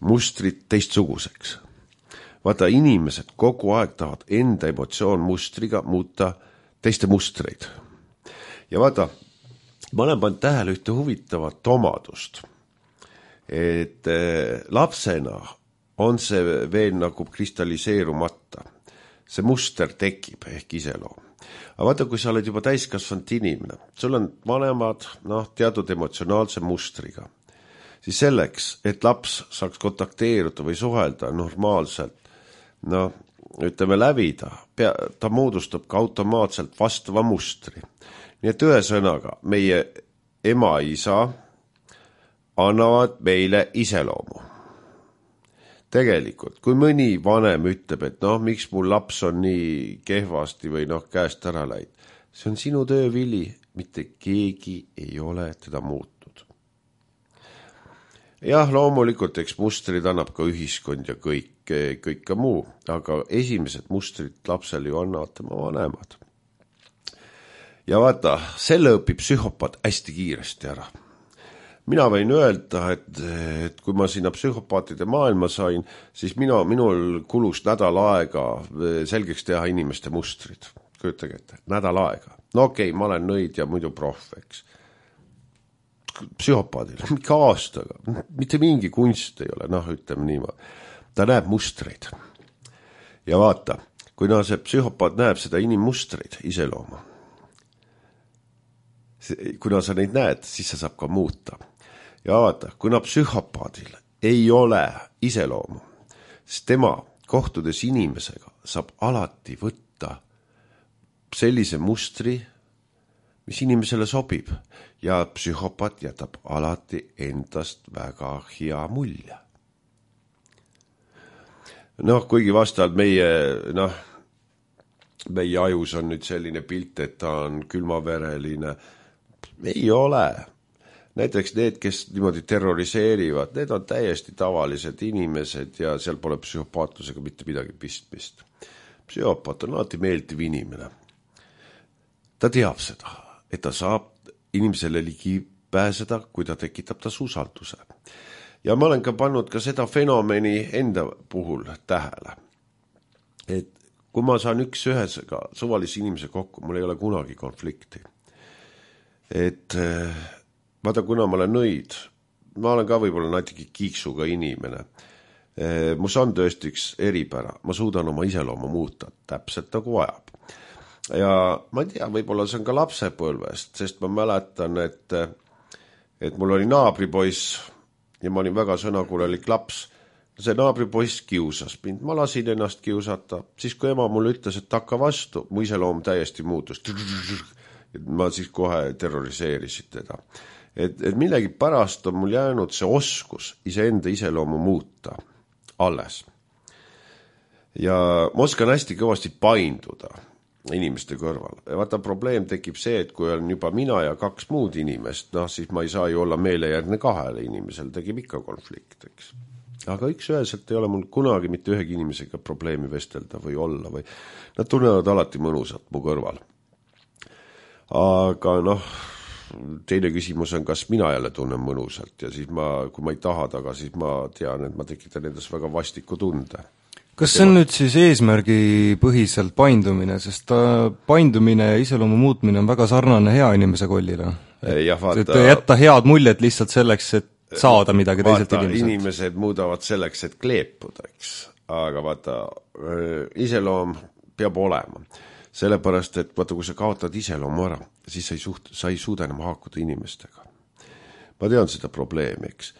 mustrit teistsuguseks. Vaata, inimesed kogu aeg tahavad enda emotsioon mustriga muuta teiste mustreid. Ja vaata, ma olen pannud tähele ühte huvitavat omadust, et lapsena on see veel nagu kristalliseerumata. See muster tekib ehk iseloom. Aga vaata, kui sa oled juba täiskasvanud inimene, sul on vanemad noh, teatud emotsionaalse mustriga, siis selleks, et laps saaks kontakteeruda või suhelda normaalselt, no ütleme lävida, pea, ta moodustab ka automaatselt vastava mustri. Nii et ühe sõnaga, meie ema-isa annavad meile iseloomu. Tegelikult, kui mõni vanem ütleb, et noh, miks mul laps on nii kehvasti või noh, käest ära läid, see on sinu töövili, mitte keegi ei ole teda muutnud. Jah, loomulikult, eks mustrid annab ka ühiskond ja kõik, kõik ka muu, aga esimesed mustrid lapsel ju annavad tema vanemad. Ja vaata, selle õpib psühhopaat hästi kiiresti ära. Mina võin öelda, et, et kui ma sinna psühhopaatide maailma sain, siis mina, minul kulus nädal aega selgeks teha inimeste mustrid. Kujutage ette, nädal aega. No okei, okay, ma olen nõid ja muidu proff, eks. Psühhopaadil, mingi aastaga, mitte mingi kunst ei ole, noh, ütleme niimoodi. Ta näeb mustreid. Ja vaata, kui no, see psühhopaat näeb seda inimmustreid, iseloomu. Kuna sa neid näed, siis sa saab ka muuta. Ja vaata, kuna psühhopaadil ei ole iseloomu, siis tema kohtudes inimesega saab alati võtta sellise mustri, mis inimesele sobib ja psühhopaat jätab alati endast väga hea mulje. Noh, kuigi vastavalt meie, noh, meie ajus on nüüd selline pilt, et ta on külmavereline, ei ole. Näiteks need, kes niimoodi terroriseerivad, need on täiesti tavalised inimesed ja seal pole psühhopaatlusega mitte midagi pistmist. Psühhopaat on alati meeldiv inimene. Ta teab seda, et ta saab inimesele ligi pääseda, kui ta tekitab tas usalduse. Ja ma olen ka pannud ka seda fenomeni enda puhul tähele. Et kui ma saan üks ühesega suvalise inimese kokku, mul ei ole kunagi konflikti. Et vaata, kuna ma olen nõid, ma olen ka võib-olla natuke kiiksuga inimene. Mus on tõesti üks eripära, ma suudan oma iseloomu muuta, täpselt nagu vajab. Ja ma ei tea, võib-olla see on ka lapsepõlvest, sest ma mäletan, et, et mul oli naabripoiss ja ma olin väga sõnakuulelik laps. See naabripoiss kiusas mind, ma lasin ennast kiusata, siis kui ema mulle ütles, et hakka vastu, mu iseloom täiesti muutus. Ma siis kohe terroriseerisin teda. Et, et millegi pärast on mul jäänud see oskus iseenda iseloomu muuta alles. Ja ma oskan hästi kõvasti painduda inimeste kõrval. Ja vaata, probleem tekib see, et kui on juba mina ja kaks muud inimest, noh, siis ma ei saa ju olla meelejärgne kahele inimesel, tegib ikka konflikt, eks. Aga üks üheselt ei ole mul kunagi mitte ühegi inimesega probleemi vestelda või olla või nad tunnevad alati mõnusat mu kõrval. Aga noh, teine küsimus on, kas mina jälle tunnen mõnusalt ja siis ma, kui ma ei taha taga, siis ma tean, et ma tekitan endas väga vastiku tunde. Kas see on nüüd siis eesmärgi põhiselt paindumine, sest ta paindumine ja iseloomu muutmine on väga sarnane hea inimese kollile? Ja vaata, et jätta head muljet lihtsalt selleks, et saada midagi teiselt vaata, inimeselt. Inimesed muudavad selleks, et kleepuda, eks. Aga vaata, iseloom peab olema. Sellepärast, et vaata, kui sa kaotad iseloomu ära, siis sa ei, suht, sa ei suuda enam haakuda inimestega. Ma tean seda probleemi, eks.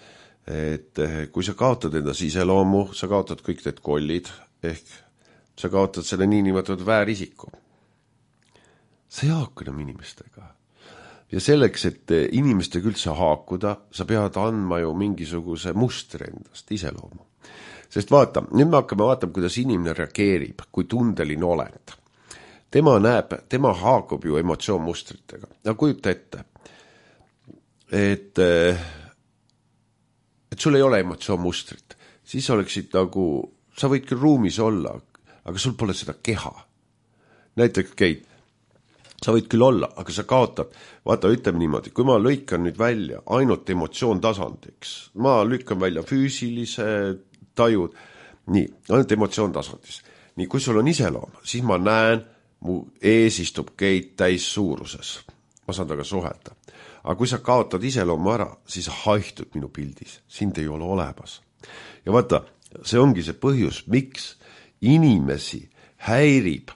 Et kui sa kaotad endas iseloomu, sa kaotad kõik need kollid, ehk sa kaotad selle niinimetatud väärisiku. Sa ei haaku enam inimestega. Ja selleks, et inimestega üldse haakuda, sa pead andma ju mingisuguse mustri endast, iseloomu. Sest vaata, nüüd me hakkame vaatama, kuidas inimene reageerib, kui tundeline olend. tema näeb, tema haakub ju emotsioonmustritega. No kujuta ette, et, et sul ei ole emotsioonmustrit, siis oleksid nagu, sa võid küll ruumis olla, aga sul pole seda keha. Näiteks Keit, sa võid küll olla, aga sa kaotad, vaata, ütleme niimoodi, kui ma lõikan nüüd välja ainult emotsioon tasandiks, ma lükkan välja füüsilise tajud, nii, ainult emotsioon tasandis. Nii, kui sul on iseloom, siis ma näen, mu ees istub Keit täis suuruses. Ma saan taga suhelda. Aga kui sa kaotad iseloomu ära, siis sa haihtud minu pildis. Sind ei ole olemas. Ja vaata, see ongi see põhjus, miks inimesi häirib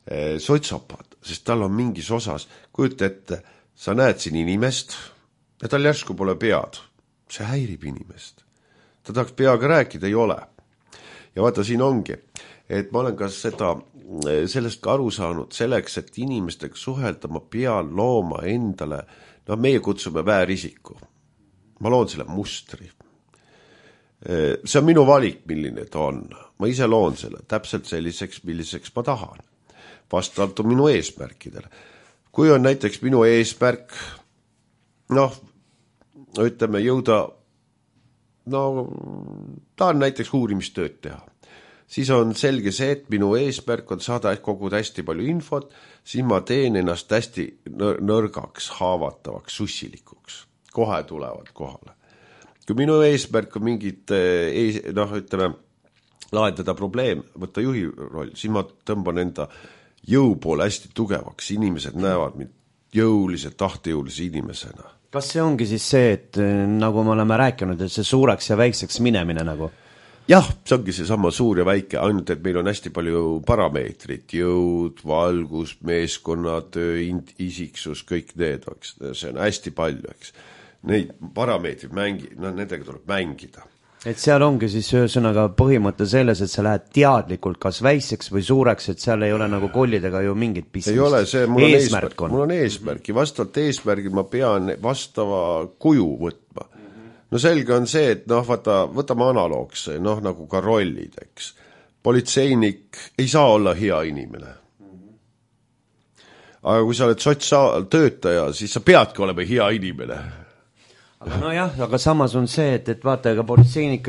eh, sotsopaat, sest tal on mingis osas, kujuta ette, sa näed siin inimest ja tal järsku pole pead. See häirib inimest. Ta tahaks peaga rääkida, ei ole. Ja vaata, siin ongi, et ma olen ka seda, sellest ka aru saanud, selleks, et inimestega suhelda, ma pean looma endale, no meie kutsume väärisiku. Ma loon selle mustri. See on minu valik, milline ta on. Ma ise loon selle täpselt selliseks, milliseks ma tahan. Vastavalt on minu eesmärkidele. Kui on näiteks minu eesmärk, noh, ütleme, jõuda, no, tahan näiteks uurimistööd teha. Siis on selge see, et minu eesmärk on saada koguda hästi palju infot, siis ma teen ennast hästi nõrgaks, haavatavaks, sussilikuks. Kohe tulevad kohale. Kui minu eesmärk on mingit, noh, ütleme, lahendada probleem, võtta juhi roll, siis ma tõmban enda jõu poole hästi tugevaks. Inimesed näevad mind jõulise, tahtejõulise inimesena. Kas see ongi siis see, et nagu me oleme rääkinud, et see suureks ja väikseks minemine nagu? Jah, see ongi see sama suur ja väike, ainult et meil on hästi palju parameetrit, jõud, valgus, meeskonnatöö, isiksus, kõik need, see on hästi palju, eks. Neid parameetrid mängi, no nendega tuleb mängida. Et seal ongi siis ühesõnaga põhimõte selles, et sa lähed teadlikult kas väikseks või suureks, et seal ei ole nagu kollidega ju mingit pistmist. Ei ole, see mul on eesmärk, eesmärk, on. Mul on eesmärki, vastavalt eesmärgil ma pean vastava kuju võtma. No selge on see, et noh, vaata, võtame analoogse, noh nagu ka rollid, eks. Politseinik ei saa olla hea inimene. Aga kui sa oled sotsiaaltöötaja, siis sa peadki olema hea inimene. Aga no jah, aga samas on see, et, et vaata, ega politseinik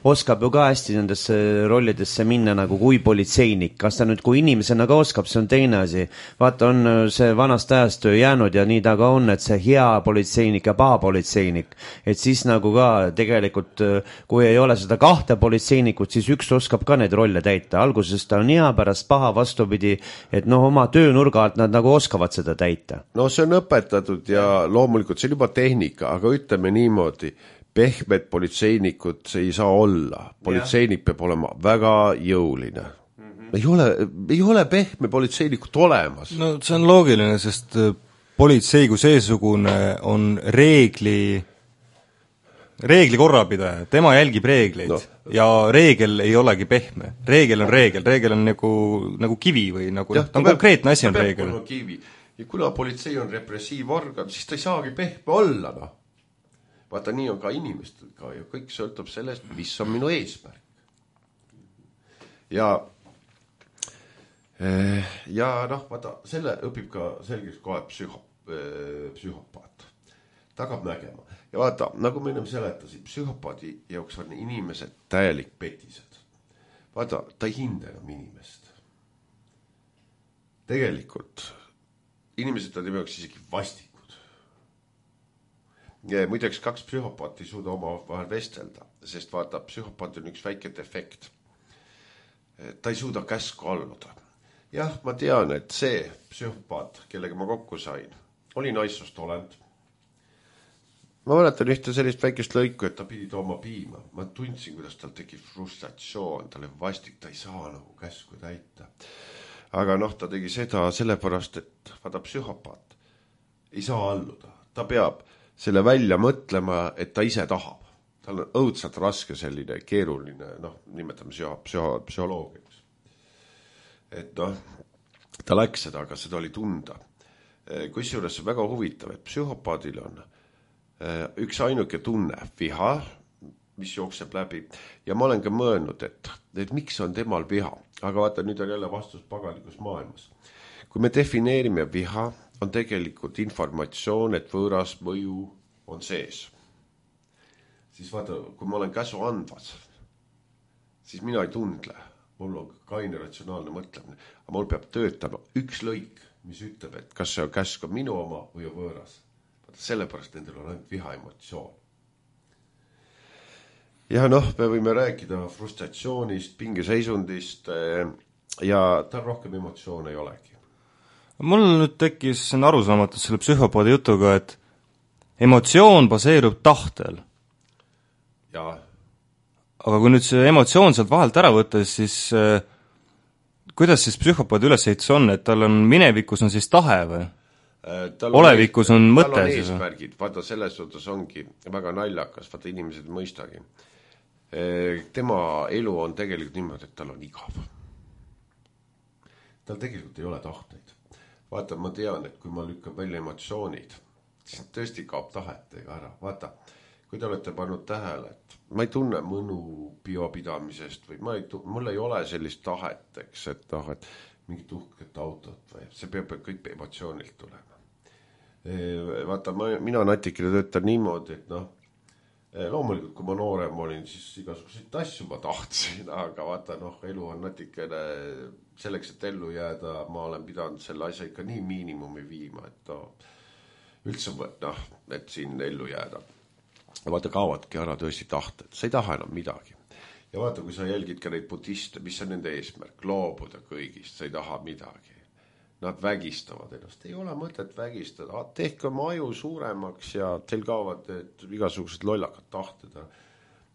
oskab ju ka hästi nendesse rollidesse minna nagu kui politseinik. Kas ta nüüd kui inimesena ka oskab, see on teine asi. Vaata, on see vanast ajast jäänud ja nii ta ka on, et see hea politseinik ja paha politseinik. Et siis nagu ka tegelikult, kui ei ole seda kahte politseinikut, siis üks oskab ka neid rolle täita. Alguses ta on hea, pärast paha vastupidi, et noh, oma töönurga alt nad nagu oskavad seda täita. No see on õpetatud ja loomulikult see on juba tehnika, aga ütleme niimoodi, pehmed politseinikud see ei saa olla. Politseinik peab olema väga jõuline. Mm-hmm. Ei ole, ei ole pehme politseinikut olemas. No see on loogiline, sest politsei kui seesugune on reegli, reegli korrapidaja. Tema jälgib reegleid no. Ja reegel ei olegi pehme. Reegel on reegel. Reegel on nagu, nagu kivi või nagu, ja, ta on konkreetne asi on reegel. Kivi. Ja kuna politsei on repressiivorgan, siis ta ei saagi pehme olla, noh. Vaata, nii on ka inimestel ka ja kõik sõltub sellest, mis on minu eesmärk. Ja, ja noh, vaata, selle õpib ka selgeks kohe psühho, psühhopaat. Ta hakkab nägema. Ja vaata, nagu me ennem seletasid, psühhopaadi jaoks on inimesed täielik petised. Vaata, ta ei hinda enam inimest. Tegelikult, inimesed on jaoks isegi vastik. Ja muideks kaks psühhopaati ei suuda oma vahel vestelda, sest vaata, psühhopaat on üks väike defekt. Ta ei suuda käsku alluda. Jah, ma tean, et see psühhopaat, kellega ma kokku sain, oli naissoost olend. Ma mäletan ühte sellist väikest lõiku, et ta pidi tooma piima. Ma tundsin, kuidas tal tegi frustratsioon, tal oli vastik, ta ei saa nagu käsku täita. Aga noh, ta tegi seda sellepärast, et vaata, psühhopaat ei saa alluda. Ta peab selle välja mõtlema, et ta ise tahab. Tal on õudselt raske selline keeruline, noh, nimetame psühho, psühholoogiaks. Et noh, ta läks seda, aga seda oli tunda. Kusjuures on väga huvitav, et psühhopaadil on üks ainuke tunne, viha, mis jookseb läbi. Ja ma olen ka mõelnud, et, et miks on temal viha. aga vaata, nüüd on jälle vastus pagalikus maailmas. Kui me defineerime viha, on tegelikult informatsioon, et võõras mõju on sees. Siis vaata, kui ma olen käsu andvas, siis mina ei tundle. Mul on kaine ratsionaalne mõtlemine, aga mul peab töötama üks lõik, mis ütleb, et kas see on käsk on minu oma või on võõras. Vaata, sellepärast nendel on ainult viha emotsioon. Ja noh, me võime rääkida frustratsioonist, pingeseisundist ja tal rohkem emotsioon ei olegi. Mul nüüd tekkis arusaamatus selle psühhopaadi jutuga, et emotsioon baseerub tahtel. Ja. Aga kui nüüd see emotsioon sealt vahelt ära võttes, siis äh, kuidas siis psühhopaadi ülesehitus on, et tal on minevikus on siis tahe või? Tal Olevikus on, on mõte. Tal on eesmärgid, vaata selles suhtes ongi väga naljakas, vaata inimesed mõistagi. Tema elu on tegelikult niimoodi, et tal on igav. Tal tegelikult ei ole tahteid. Vaata, ma tean, et kui ma lükkab välja emotsioonid, siis tõesti kaob tahetega ära. Vaata, kui te olete pannud tähele, et ma ei tunne mõnu biopidamisest või ma ei tunne, mul ei ole sellist taheteks, et, noh, et mingit uhket autot või see peab kõik emotsioonilt tulema. Vaata, ma, mina natikene töötan niimoodi, et noh, loomulikult, kui ma noorem olin, siis igasuguseid asju ma tahtsin, aga vaata, noh, elu on natikene selleks, et ellu jääda, ma olen pidanud selle asja ikka nii miinimumi viima, et no, üldse, noh, et siin ellu jääda. Ja vaata, kaavadki ära tõesti tahted, sa ei taha enam midagi. Ja vaata, kui sa jälgid ka neid budiste, mis on nende eesmärk, loobuda kõigist, sa ei taha midagi. Nad vägistavad ennast, ei ole mõtet vägistada, tehke oma aju suuremaks ja teil kaovad igasugused lollakad tahted.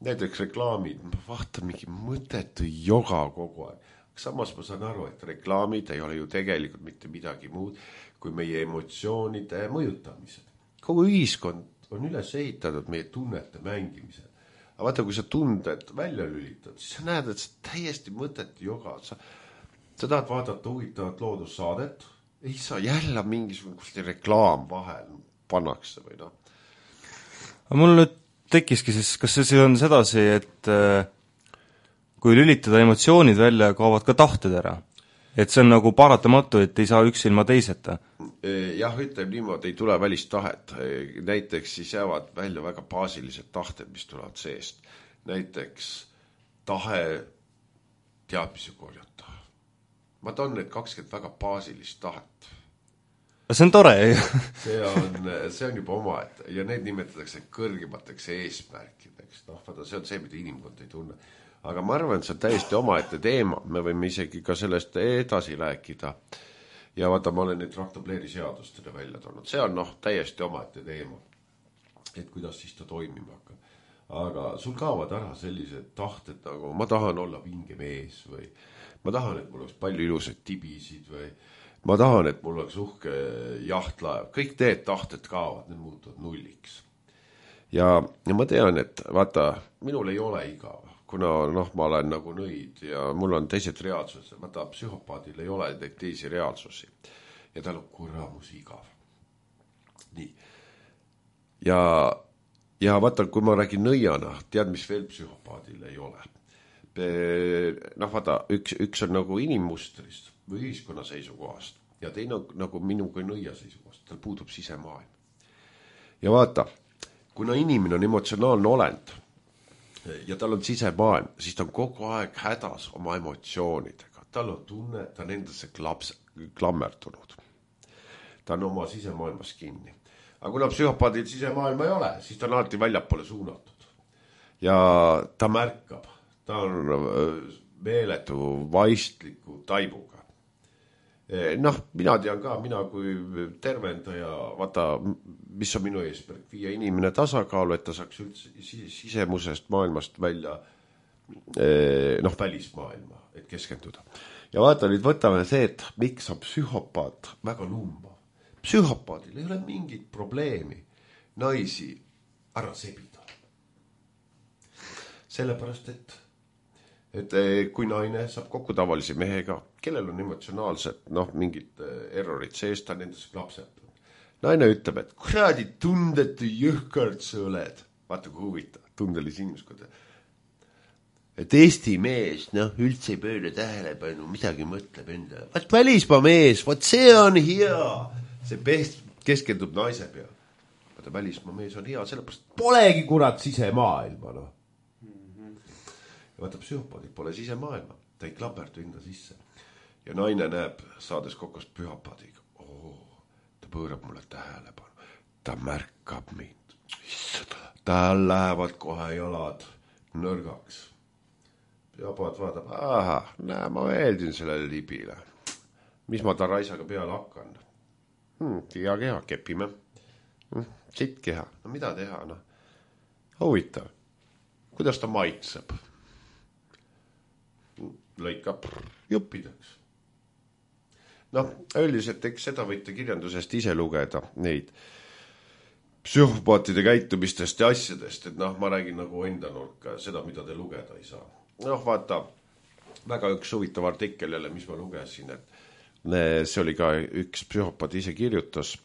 Näiteks reklaamid, ma vaatan mingi mõttetu joga kogu aeg. Samas ma saan aru, et reklaamid ei ole ju tegelikult mitte midagi muud kui meie emotsioonide mõjutamised. Kogu ühiskond on üles ehitatud meie tunnete mängimisel. Aga vaata, kui sa tunded välja lülitad, siis sa näed, et sa täiesti mõttetu joga. Sa Sa tahad vaadata huvitavat loodussaadet, ei saa jälle mingisugune reklaam vahel pannakse või noh. Mul nüüd tekkiski siis, kas see on sedasi, et kui lülitada emotsioonid välja, kaovad ka tahted ära? Et see on nagu paratamatu, et ei saa üks ilma teiseta? Jah, ütleb niimoodi, ei tule välist tahet. Näiteks siis jäävad välja väga baasilised tahted, mis tulevad seest. Näiteks tahe teadmisi korjata. Ma toon need kakskümmend väga baasilist tahet. See on tore. see, on, see on juba oma, et, ja need nimetatakse kõrgemateks eesmärkideks. No, vaata, see on see, mida inimkond ei tunne. Aga ma arvan, et see on täiesti oma ette teema. Me võime isegi ka sellest edasi rääkida. Ja vaata, ma olen neid raktobleeri seadustele välja toonud. See on noh, täiesti oma ette teema. Et kuidas siis ta toimima hakkab. Aga sul kaovad ära sellised tahted, nagu ma tahan olla vinge mees või ma tahan, et mul oleks palju ilusaid tibisid või ma tahan, et mul oleks uhke jahtlaev. Kõik need tahted kaovad, need muutuvad nulliks. Ja, ja ma tean, et vaata, minul ei ole igav, kuna noh, ma olen nagu nõid ja mul on teised reaalsused. Vaata, psühhopaadil ei ole teisi reaalsusi ja tal on kurramus igav. Nii. Ja, ja vaata, kui ma räägin nõiana, tead, mis veel psühhopaadil ei ole. Noh, vaata, üks, üks on nagu inimmustrist või ühiskonna seisukohast ja teine on nagu minu kui nõia seisukohast, tal puudub sisemaailm. Ja vaata, kuna inimene on emotsionaalne olend ja tal on sisemaailm, siis ta on kogu aeg hädas oma emotsioonidega. Tal on tunne, ta on endasse klaps, klammertunud. Ta on oma sisemaailmas kinni. Aga kuna psühhopaadil sisemaailma ei ole, siis ta on alati väljapoole suunatud. Ja ta märkab, ta on meeletu vaistliku taibuga. Noh, mina tean ka, mina kui tervendaja, vaata, mis on minu eesmärk, viia inimene tasakaalu, et ta saaks üldse sisemusest maailmast välja, noh, välismaailma, et keskenduda. Ja vaata, nüüd võtame see, et miks on psühhopaat väga lumbav. Psühhopaadil ei ole mingit probleemi naisi ära sebida. Sellepärast, et et kui naine saab kokku tavalise mehega, kellel on emotsionaalsed, noh, mingid errorid sees, ta nendes klapseb. Naine ütleb, et kuradi tundetu jõhkard sa oled. Vaata, kui huvitav, tundelise inimeskonda. et Eesti mees, noh, üldse ei pööra tähelepanu, midagi mõtleb enda. Vaat välismaa mees, vaat see on hea. See pest, keskendub naise peale. Vaata välismaa mees on hea, sellepärast polegi kurat sisemaailma, noh. Ja vaata psühhopaadid pole sisemaailma, ta ei klamberdu enda sisse. Ja naine näeb, saades kokost pühapaadiga, oo, ta pöörab mulle tähelepanu, ta märkab mind, tal lähevad kohe jalad nõrgaks. Pühapaad vaatab, aha, näe, ma meeldin sellele libile, mis ma ta raisaga peale hakkan. Hmm, hea keha, kepime, hmm, sitt keha, no mida teha, noh, huvitav, kuidas ta maitseb, lõikab juppideks. Noh, üldiselt eks seda võite kirjandusest ise lugeda, neid psühhopaatide käitumistest ja asjadest, et noh, ma räägin nagu enda nurka, seda, mida te lugeda ei saa. Noh, vaata, väga üks huvitav artikkel jälle, mis ma lugesin, et see oli ka üks psühhopaat ise kirjutas,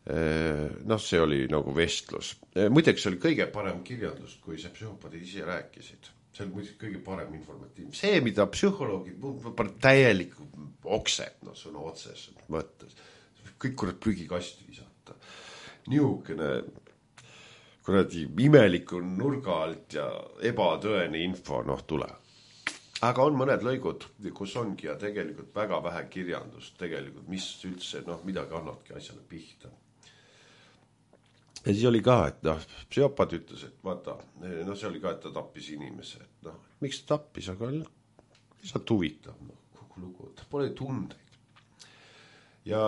noh, see oli nagu vestlus. Muideks oli kõige parem kirjandus, kui see psühhopaadid ise rääkisid. See oli muidugi kõige parem informatiivne. See, mida psühholoogid, täielik oksed, no sõna otses mõttes. Kõik kurat prügikasti visata. Niukene kuradi imeliku nurga alt ja ebatõene info, noh, tule. Aga on mõned lõigud, kus ongi ja tegelikult väga vähe kirjandust, tegelikult, mis üldse, noh, midagi annabki asjale pihta. Ja siis oli ka, et noh, psühhopaat ütles, et vaata, noh, see oli ka, et ta tappis inimese, et noh, miks ta tappis, aga lihtsalt huvitav, noh, kogu lugu, ta pole tundeid. Ja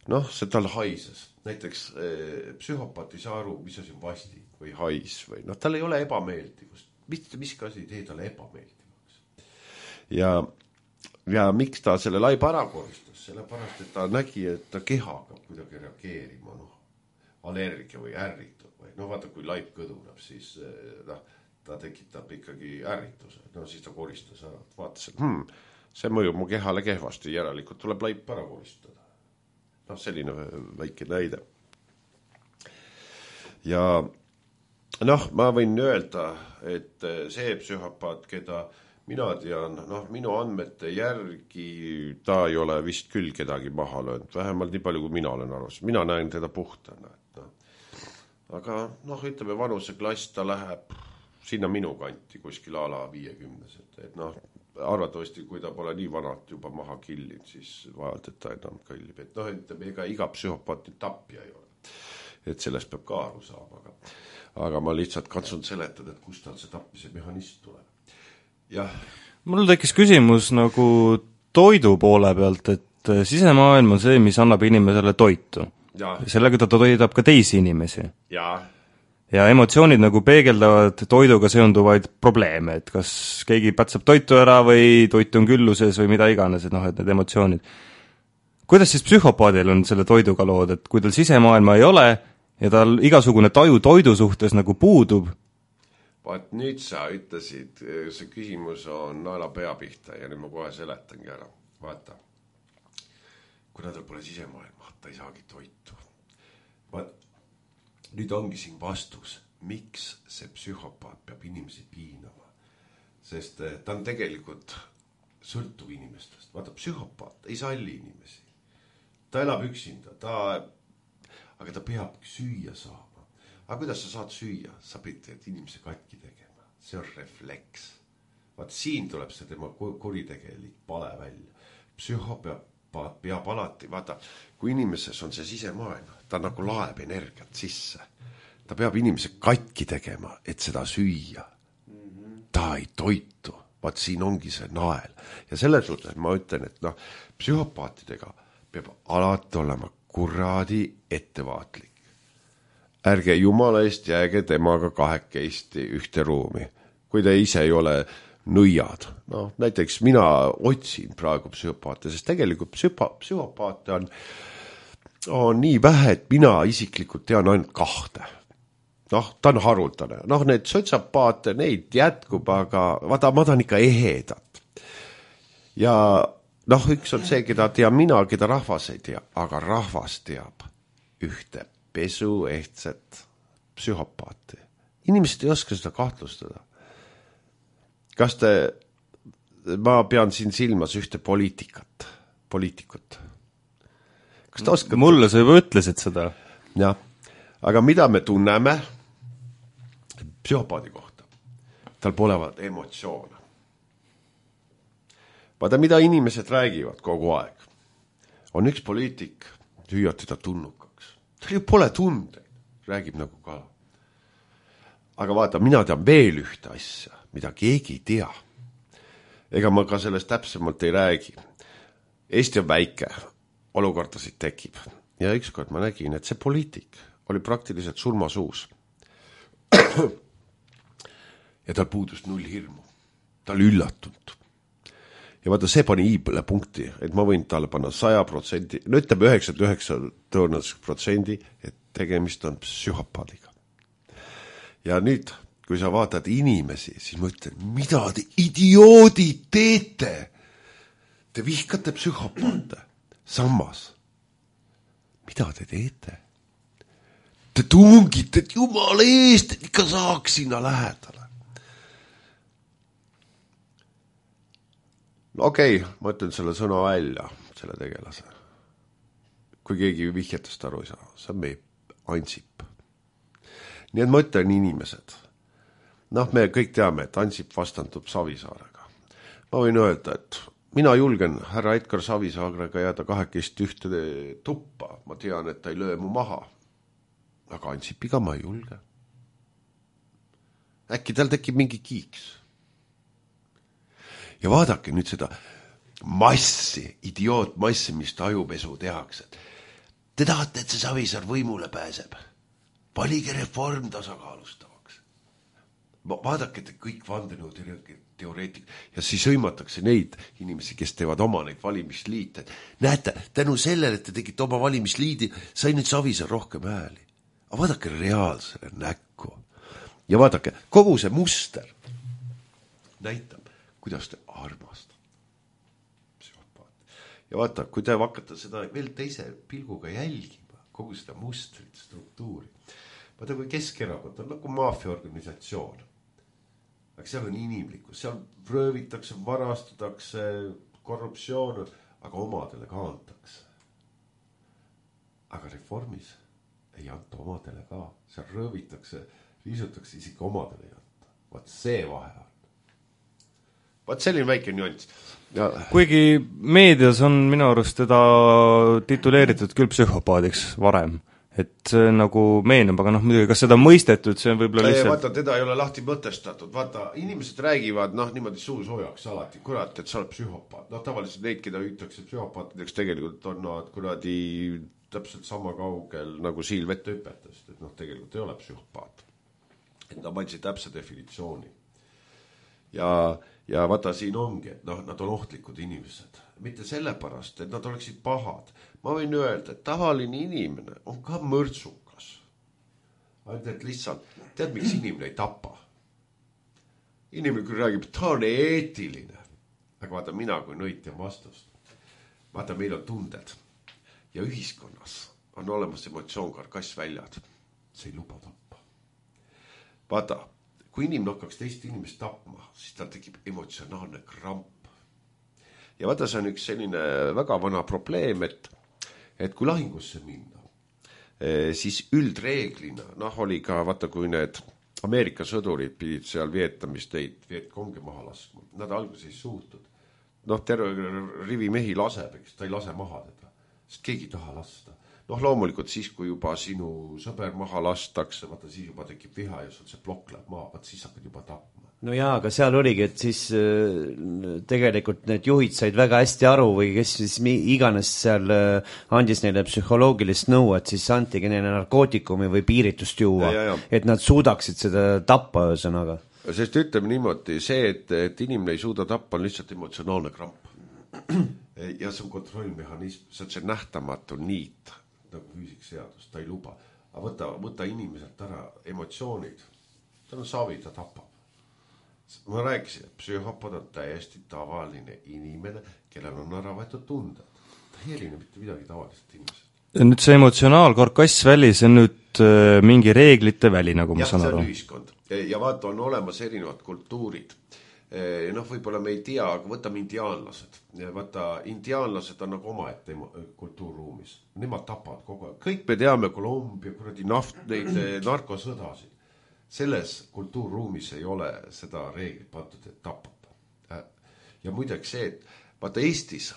noh, see tal haises, näiteks eh, psühhopaat ei saa aru, mis asi on vasti või hais või noh, tal ei ole ebameeldivust, mis, mis asi ei tee talle ebameeldivaks. Ja, ja miks ta selle laiba ära koristas, sellepärast, et ta nägi, et ta keha hakkab kuidagi reageerima, noh, allergia või ärritud või no vaata, kui laip kõduneb, siis noh, ta tekitab ikkagi ärrituse, no siis ta koristas ära, vaatas, et hmm, see mõjub mu kehale kehvasti, järelikult tuleb laip ära koristada. Noh, selline väike näide. Ja noh, ma võin öelda, et see psühhopaat, keda mina tean, noh, minu andmete järgi ta ei ole vist küll kedagi maha löönud, vähemalt nii palju, kui mina olen arvas. Mina näen teda puhtana. Aga noh, ütleme vanuse klass, ta läheb sinna minu kanti kuskil ala viiekümnesed, et noh, arvatavasti, kui ta pole nii vanalt juba maha killinud, siis vajalt, et ta enam kõllib, et noh, ütleme, ega iga psühhopaati tapja ei ole, et sellest peab ka aru saama, aga, aga ma lihtsalt katsun seletada, et kust tal see tapmise mehhanism tuleb. Jah. Mul tekkis küsimus nagu toidu poole pealt, et sisemaailm on see, mis annab inimesele toitu. Ja. Sellega ta toidab ka teisi inimesi. Ja. Ja emotsioonid nagu peegeldavad toiduga seonduvaid probleeme, et kas keegi pätsab toitu ära või toit on külluses või mida iganes, et noh, et need emotsioonid. Kuidas siis psühhopaadil on selle toiduga lood, et kui tal sisemaailma ei ole ja tal igasugune taju toidu suhtes nagu puudub? Vaat nüüd sa ütlesid, see küsimus on naela pea pihta ja nüüd ma kohe seletangi ära. Vaata, kuna tal pole sisemaailma, ta ei saagi toitu. Vaat, nüüd ongi siin vastus, miks see psühhopaat peab inimesi piinama. Sest ta on tegelikult sõltuv inimestest. Vaata, psühhopaat ei salli inimesi. Ta elab üksinda, ta, aga ta peab süüa saama. Aga kuidas sa saad süüa? Sa pead inimese katki tegema. See on refleks. Vaat siin tuleb see tema kuritegelik pale välja. Psühhopaat peab alati, vaata, kui inimeses on see sisemaailm, ta nagu laeb energiat sisse. Ta peab inimese katki tegema, et seda süüa. Ta ei toitu. Vaat siin ongi see nael. Ja selles suhtes ma ütlen, et noh, psühhopaatidega peab alati olema kuradi ettevaatlik. Ärge jumala eest jääge temaga kahekesti ühte ruumi. Kui te ise ei ole nõiad. No, näiteks mina otsin praegu psühhopaate, sest tegelikult psühhopa, psühhopaate on, on nii vähe, et mina isiklikult tean ainult kahte. Noh, ta on haruldane. Noh, need sotsiopaate, neid jätkub, aga vaata, ma tahan ikka ehedat. Ja noh, üks on see, keda tean mina, keda rahvas ei tea, aga rahvas teab ühte pesuehtset psühhopaati. Inimesed ei oska seda kahtlustada. kas te, ma pean siin silmas ühte poliitikat, poliitikut. Kas te oskate? Mulle sa juba ütlesid seda. Jah, aga mida me tunneme psühhopaadi kohta? Tal polevad emotsioone. Vaata, mida inimesed räägivad kogu aeg. On üks poliitik, hüüad teda tunnukaks. Tal ju pole tundeid, räägib nagu kala. Aga vaata, mina tean veel ühte asja, mida keegi ei tea. Ega ma ka sellest täpsemalt ei räägi. Eesti on väike, olukordasid tekib. Ja ükskord ma nägin, et see poliitik oli praktiliselt surmasuus. Ja tal puudus null hirmu. Ta oli üllatunud. Ja vaata, see pani iibele punkti, et ma võin talle panna saja protsendi, no ütleme üheksakümmend üheksa tõenäoliselt protsendi, et tegemist on psühhopaadiga. Ja nüüd, kui sa vaatad inimesi, siis ma ütlen, mida te idioodid teete? Te vihkate psühhopaate. Sammas. Mida te teete? Te tungite, et jumala eest, et ikka saaks sinna lähedale. No okei, okay, ma ütlen selle sõna välja, selle tegelase. Kui keegi vihjetest aru ei saa, see on meie Ansip. Nii et ma ütlen inimesed. Noh, me kõik teame, et Ansip vastandub Savisaarega. Ma võin öelda, et mina julgen härra Edgar Savisaarega jääda kahekest ühte tuppa. Ma tean, et ta ei löö mu maha. Aga Ansipiga ma ei julge. Äkki tal tekib mingi kiiks. Ja vaadake nüüd seda massi, idioot massi, mis tajupesu tehakse. Te tahate, et see Savisaar võimule pääseb. Valige reform tasakaalustavaks. Vaadake, et kõik vandenõu teoreetik ja siis hõimatakse neid inimesi, kes teevad oma neid valimisliite. Näete, tänu sellele, et te tegite oma valimisliidi, sai nüüd Savisaar rohkem hääli. Aga vaadake reaalsele näkku. Ja vaadake, kogu see muster näitab, kuidas te armastate psühhopaat. Ja vaata, kui te hakkate seda veel teise pilguga jälgima, kogu seda mustrit, struktuuri. Vaata, kui Keskerakond on nagu maffiaorganisatsioon. Aga seal on inimlikkus, seal röövitakse, varastatakse, korruptsioon, aga omadele ka antakse. Aga reformis ei anta omadele ka. Seal röövitakse, riisutakse, isegi omadele ei anta. Vaat see vahe on. Vaat selline väike nüanss. Ja... Kuigi meedias on minu arust teda tituleeritud küll psühhopaadiks varem, et see nagu meenub, aga noh, muidugi, kas seda mõistetud, see on võib-olla lihtsalt... Vaata, teda ei ole lahti mõtestatud. Vaata, inimesed räägivad, noh, niimoodi suu soojaks alati, kurat, et sa oled psühhopaat. Noh, tavaliselt neid, keda hüütakse psühhopaatideks, tegelikult on nad kuradi täpselt sama kaugel nagu siil vette hüpetast, et noh, tegelikult ei ole psühhopaat. Et nad mandsi täpse definitsiooni. Ja, ja vaata, siin ongi, et noh, nad on ohtlikud inimesed. Mitte sellepärast, et nad oleksid pahad. Ma võin öelda, et tavaline inimene on ka mõrtsukas. Ainult, et lihtsalt, tead, miks inimene ei tapa? Inimene küll räägib, et ta on eetiline. Aga vaata, mina kui nõitja vastust. Vaata, meil on tunded. Ja ühiskonnas on olemas emotsioon karkassväljad. See ei luba tappa. Vaata, kui inimene hakkaks teist inimest tapma, siis tal tekib emotsionaalne kramp. Ja vaata, see on üks selline väga vana probleem, et, et kui lahingusse minna, siis üldreeglina, noh, oli ka, vaata, kui need Ameerika sõdurid pidid seal Vietnamist neid Vietkongi maha laskma. Nad alguses ei suutnud. Noh, terve rivi mehi laseb, eks ta ei lase maha teda. Sest keegi ei taha lasta. Noh, loomulikult siis, kui juba sinu sõber maha lastakse, vaata, siis juba tekib viha ja sul see plokk läheb maha, vaata, siis hakkad juba tapma. No jaa, aga seal oligi, et siis äh, tegelikult need juhid said väga hästi aru või kes siis iganes seal äh, andis neile psühholoogilist nõu, et siis antigi neile narkootikumi või piiritust juua, ja, ja, ja. Et nad suudaksid seda tappa ühesõnaga. Sest ütleme niimoodi, see, et, et inimene ei suuda tappa, on lihtsalt emotsionaalne kramp. Ja see on kontrollmehhanism, see on see nähtamatu niit, nagu füüsikseadus, ta ei luba. Aga võta, võta inimeselt ära emotsioonid, ta on savi, ta tapab. Ma rääkisin, et psühhopaat on täiesti tavaline inimene, kellel on ära võetud tunded. Ta ei erine mitte midagi tavaliselt inimesed. Nüüd see emotsionaalkarkassväli, see on nüüd äh, mingi reeglite väli, nagu ma ja, saan aru. Ja, see on ühiskond. Ja vaata, on olemas erinevad kultuurid. noh, võib-olla me ei tea, aga võtame indiaanlased. Vaata, indiaanlased on nagu omaette kultuurruumis. Nemad tapavad kogu aeg. Kõik me teame Kolumbia, kuradi naft, neid narkosõdasid. Selles kultuurruumis ei ole seda reeglit pandud, et tapab. Ja muideks see, et vaata Eestis,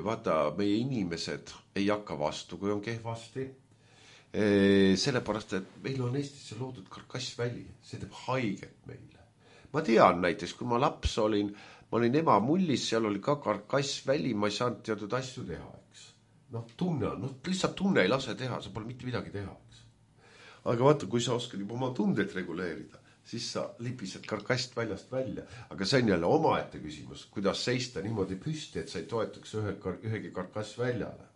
vaata meie inimesed ei hakka vastu, kui on kehvasti. Sellepärast, et meil on Eestisse loodud karkassväli. See teeb haiget meile. Ma tean näiteks, kui ma laps olin, ma olin ema mullis, seal oli ka karkassväli, ma ei saanud teatud asju teha, eks. Noh, tunne on, noh, lihtsalt tunne ei lase teha, sa pole mitte midagi teha, eks. Aga vaata, kui sa oskad juba oma tundet reguleerida, siis sa libised karkast väljast välja. Aga see on jälle omaette küsimus, kuidas seista niimoodi püsti, et sa ei toetaks ühe, ühegi karkass väljale.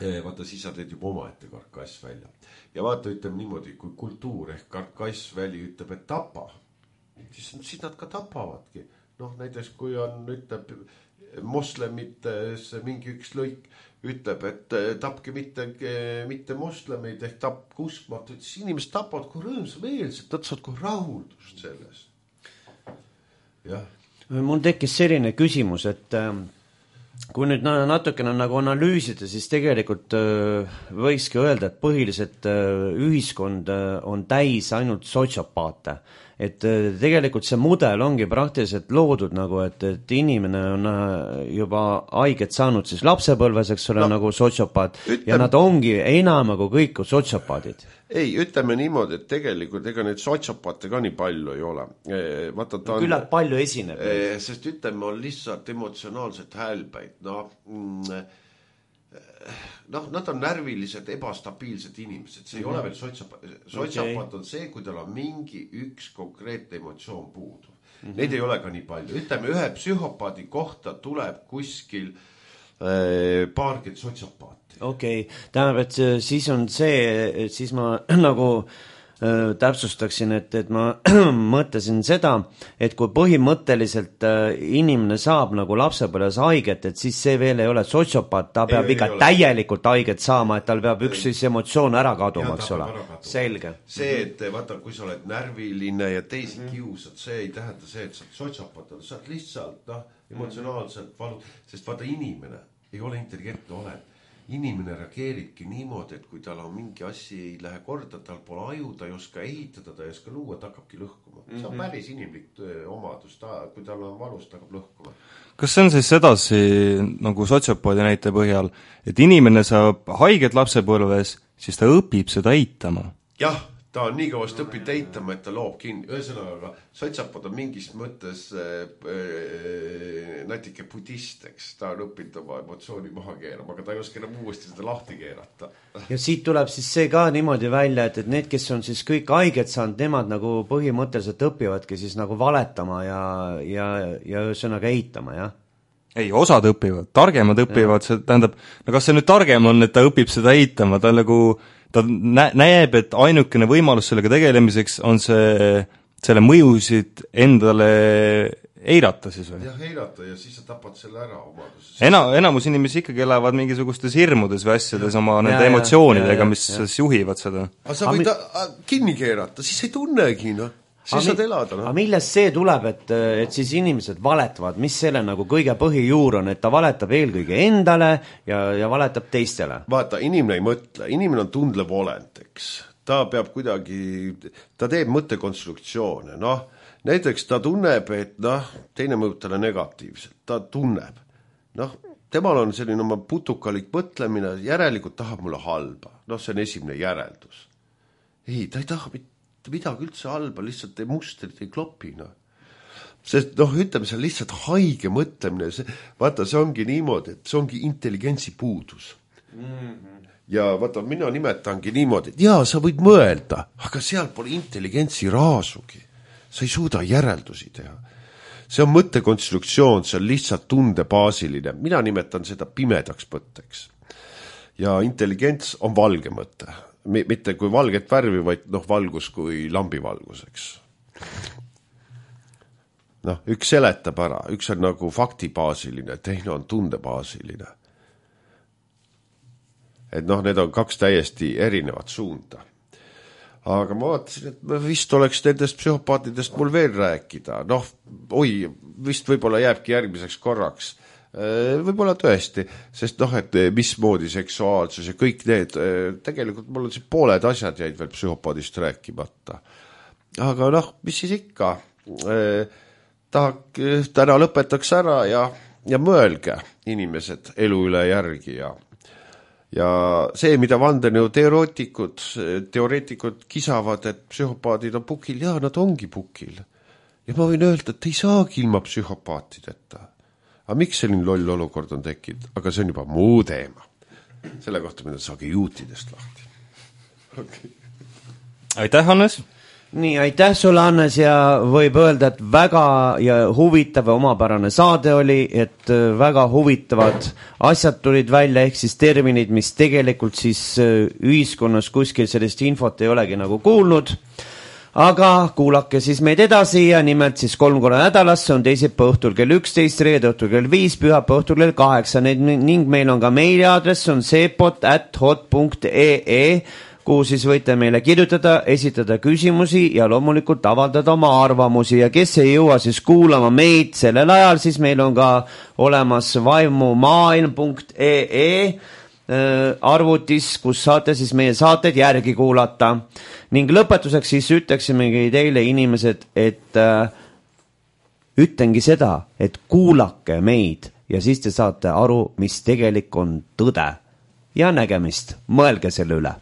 Vaata, siis sa teed juba omaette karkass välja. Ja vaata, ütleme niimoodi, kui kultuur ehk karkass väli ütleb, et tapa, siis, siis nad ka tapavadki. Noh, näiteks kui on, ütleb, moslemites mingi üks lõik ütleb, et tapke mitte, mitte moslemeid ehk tapke uskmatu, siis inimesed tapavad kui rõõmsameelselt, nad saavad kui rahuldust selles. Jah. Mul tekkis selline küsimus, et kui nüüd natukene nagu analüüsida, siis tegelikult võikski öelda, et põhiliselt ühiskond on täis ainult sotsiopaate. Et tegelikult see mudel ongi praktiliselt loodud nagu, et, et inimene on juba haiget saanud siis lapsepõlves, eks ole, no, nagu sotsiopaat, ütleme, ja nad ongi enam kui kõik sotsiopaadid. Ei, ütleme niimoodi, et tegelikult ega neid sotsiopaate ka nii palju ei ole. Vaata, ta on, küllalt palju esineb. Sest ütleme, on lihtsalt emotsionaalselt häälbeid. No, noh, nad on närvilised, ebastabiilsed inimesed. See ei mm-hmm. ole veel sotsiopaat. Sotsiopaat okay. on see, kui tal on mingi üks konkreetne emotsioon puudu. Mm-hmm. Neid ei ole ka nii palju. Ütleme, ühe psühhopaadi kohta tuleb kuskil äh, paarkid sotsiopaati. Okei, okay. Tähendab, et siis on see, siis ma nagu äh, täpsustaksin, et, et ma mõtlesin seda, et kui põhimõtteliselt äh, inimene saab nagu lapsepõlves haiget, et siis see veel ei ole sotsiopaat, ta peab ei, ikka ei täielikult haiget saama, et tal peab üks siis emotsioon ära kaduma, eks ole. Selge. See, et vaata, kui sa oled närviline ja teisi mm-hmm. kiusad, see ei tähenda see, et sa oled sotsiopaat, sa oled lihtsalt no, emotsionaalselt valu, sest vaata inimene ei ole intelligentne olend. Inimene reageeribki niimoodi, et kui tal on mingi asi ei lähe korda, tal pole aju, ta ei oska ehitada, ta ei oska luua, ta hakkabki lõhkuma. See on päris inimlik omadus, ta, kui tal on valus, ta hakkab lõhkuma. Kas see on siis edasi nagu sotsiopaadi näite põhjal, et inimene saab haiget lapsepõlves, siis ta õpib seda eitama? Jah, ta on nii kõvast õpid eitama, et ta loob kinni. Ühesõnaga, sotsiapod on mingis mõttes äh, äh, natuke budisteks. Ta on õppinud oma emotsiooni maha keerama, aga ta ei oska enam uuesti seda lahti keerata. Ja siit tuleb siis see ka niimoodi välja, et, et need, kes on siis kõik haiget saanud, nemad nagu põhimõtteliselt õpivadki siis nagu valetama ja, ja, ja ühesõnaga eitama, jah? Ei, osad õpivad, targemad õpivad, see tähendab, no kas see nüüd targem on, et ta õpib seda eitama, ta nagu ta nä- näeb, et ainukene võimalus sellega tegelemiseks on see, selle mõjusid endale eirata siis või? Jah, eirata ja siis sa tapad selle ära omaduses. Ena, enamus inimesi ikkagi elavad mingisugustes hirmudes või asjades ja. oma nende ja, emotsioonidega, mis ja. Siis juhivad seda. Aga sa võid ta kinni keerata, siis ei tunnegi, noh. Siis saad elada, no. Aga millest see tuleb, et, et siis inimesed valetavad, mis selle nagu kõige põhijuur on, et ta valetab eelkõige endale ja, ja valetab teistele? Vaata, inimene ei mõtle, inimene on tundlev olend, eks. Ta peab kuidagi, ta teeb mõttekonstruktsioone, noh, näiteks ta tunneb, et noh, teine mõjub talle negatiivselt, ta tunneb, noh, temal on selline oma putukalik mõtlemine, järelikult tahab mulle halba, noh, see on esimene järeldus. Ei, ta ei taha mitte midagi üldse halba, lihtsalt te mustrid ei klopi, noh. Sest, noh, ütleme, see on lihtsalt haige mõtlemine, see, vaata, see ongi niimoodi, et see ongi intelligentsi puudus. Mm-hmm. Ja vaata, mina nimetangi niimoodi, et jaa, sa võid mõelda, aga seal pole intelligentsi raasugi. Sa ei suuda järeldusi teha. See on mõttekonstruktsioon, see on lihtsalt tundebaasiline. Mina nimetan seda pimedaks mõtteks. Ja intelligents on valge mõte. Mitte kui valget värvi, vaid noh, valgus kui lambivalguseks. Noh, üks seletab ära, üks on nagu faktibaasiline, teine on tundebaasiline. Et noh, need on kaks täiesti erinevat suunda. aga ma vaatasin, et vist oleks nendest psühhopaatidest mul veel rääkida. Noh, oi, vist võib-olla jääbki järgmiseks korraks. Võib-olla tõesti, sest noh, et mismoodi seksuaalsus ja kõik need, tegelikult mul on siin pooled asjad jäid veel psühhopaadist rääkimata. Aga noh, mis siis ikka? Tahak, täna lõpetaks ära ja, ja mõelge inimesed elu üle järgi ja, ja see, mida vandenõu teoreetikud, teoreetikud kisavad, et psühhopaadid on pukil, ja nad ongi pukil. Ja ma võin öelda, et ei saagi ilma psühhopaatideta. Aga miks selline loll olukord on tekkinud? Aga see on juba muu teema. Selle kohta mida saagi juutidest lahti. Okay. Aitäh, Hannes! Nii, aitäh sulle, Hannes, ja võib öelda, et väga ja huvitav ja omapärane saade oli, et väga huvitavad asjad tulid välja, ehk siis terminid, mis tegelikult siis ühiskonnas kuskil sellist infot ei olegi nagu kuulnud. Aga kuulake siis meid edasi ja nimelt siis kolm korra nädalas, see on teisipäeva õhtul kell üksteist, reede õhtul kell viis, pühapäeva õhtul kell kaheksa ning meil on ka meiliaadress, on seepot at hot punkt ee, kuhu siis võite meile kirjutada, esitada küsimusi ja loomulikult avaldada oma arvamusi ja kes ei jõua siis kuulama meid sellel ajal, siis meil on ka olemas vaimumaailm punkt ee arvutis, kus saate siis meie saated järgi kuulata. Ning lõpetuseks siis ütleksimegi teile inimesed, et äh, ütlengi seda, et kuulake meid ja siis te saate aru, mis tegelik on tõde. Ja nägemist, mõelge selle üle.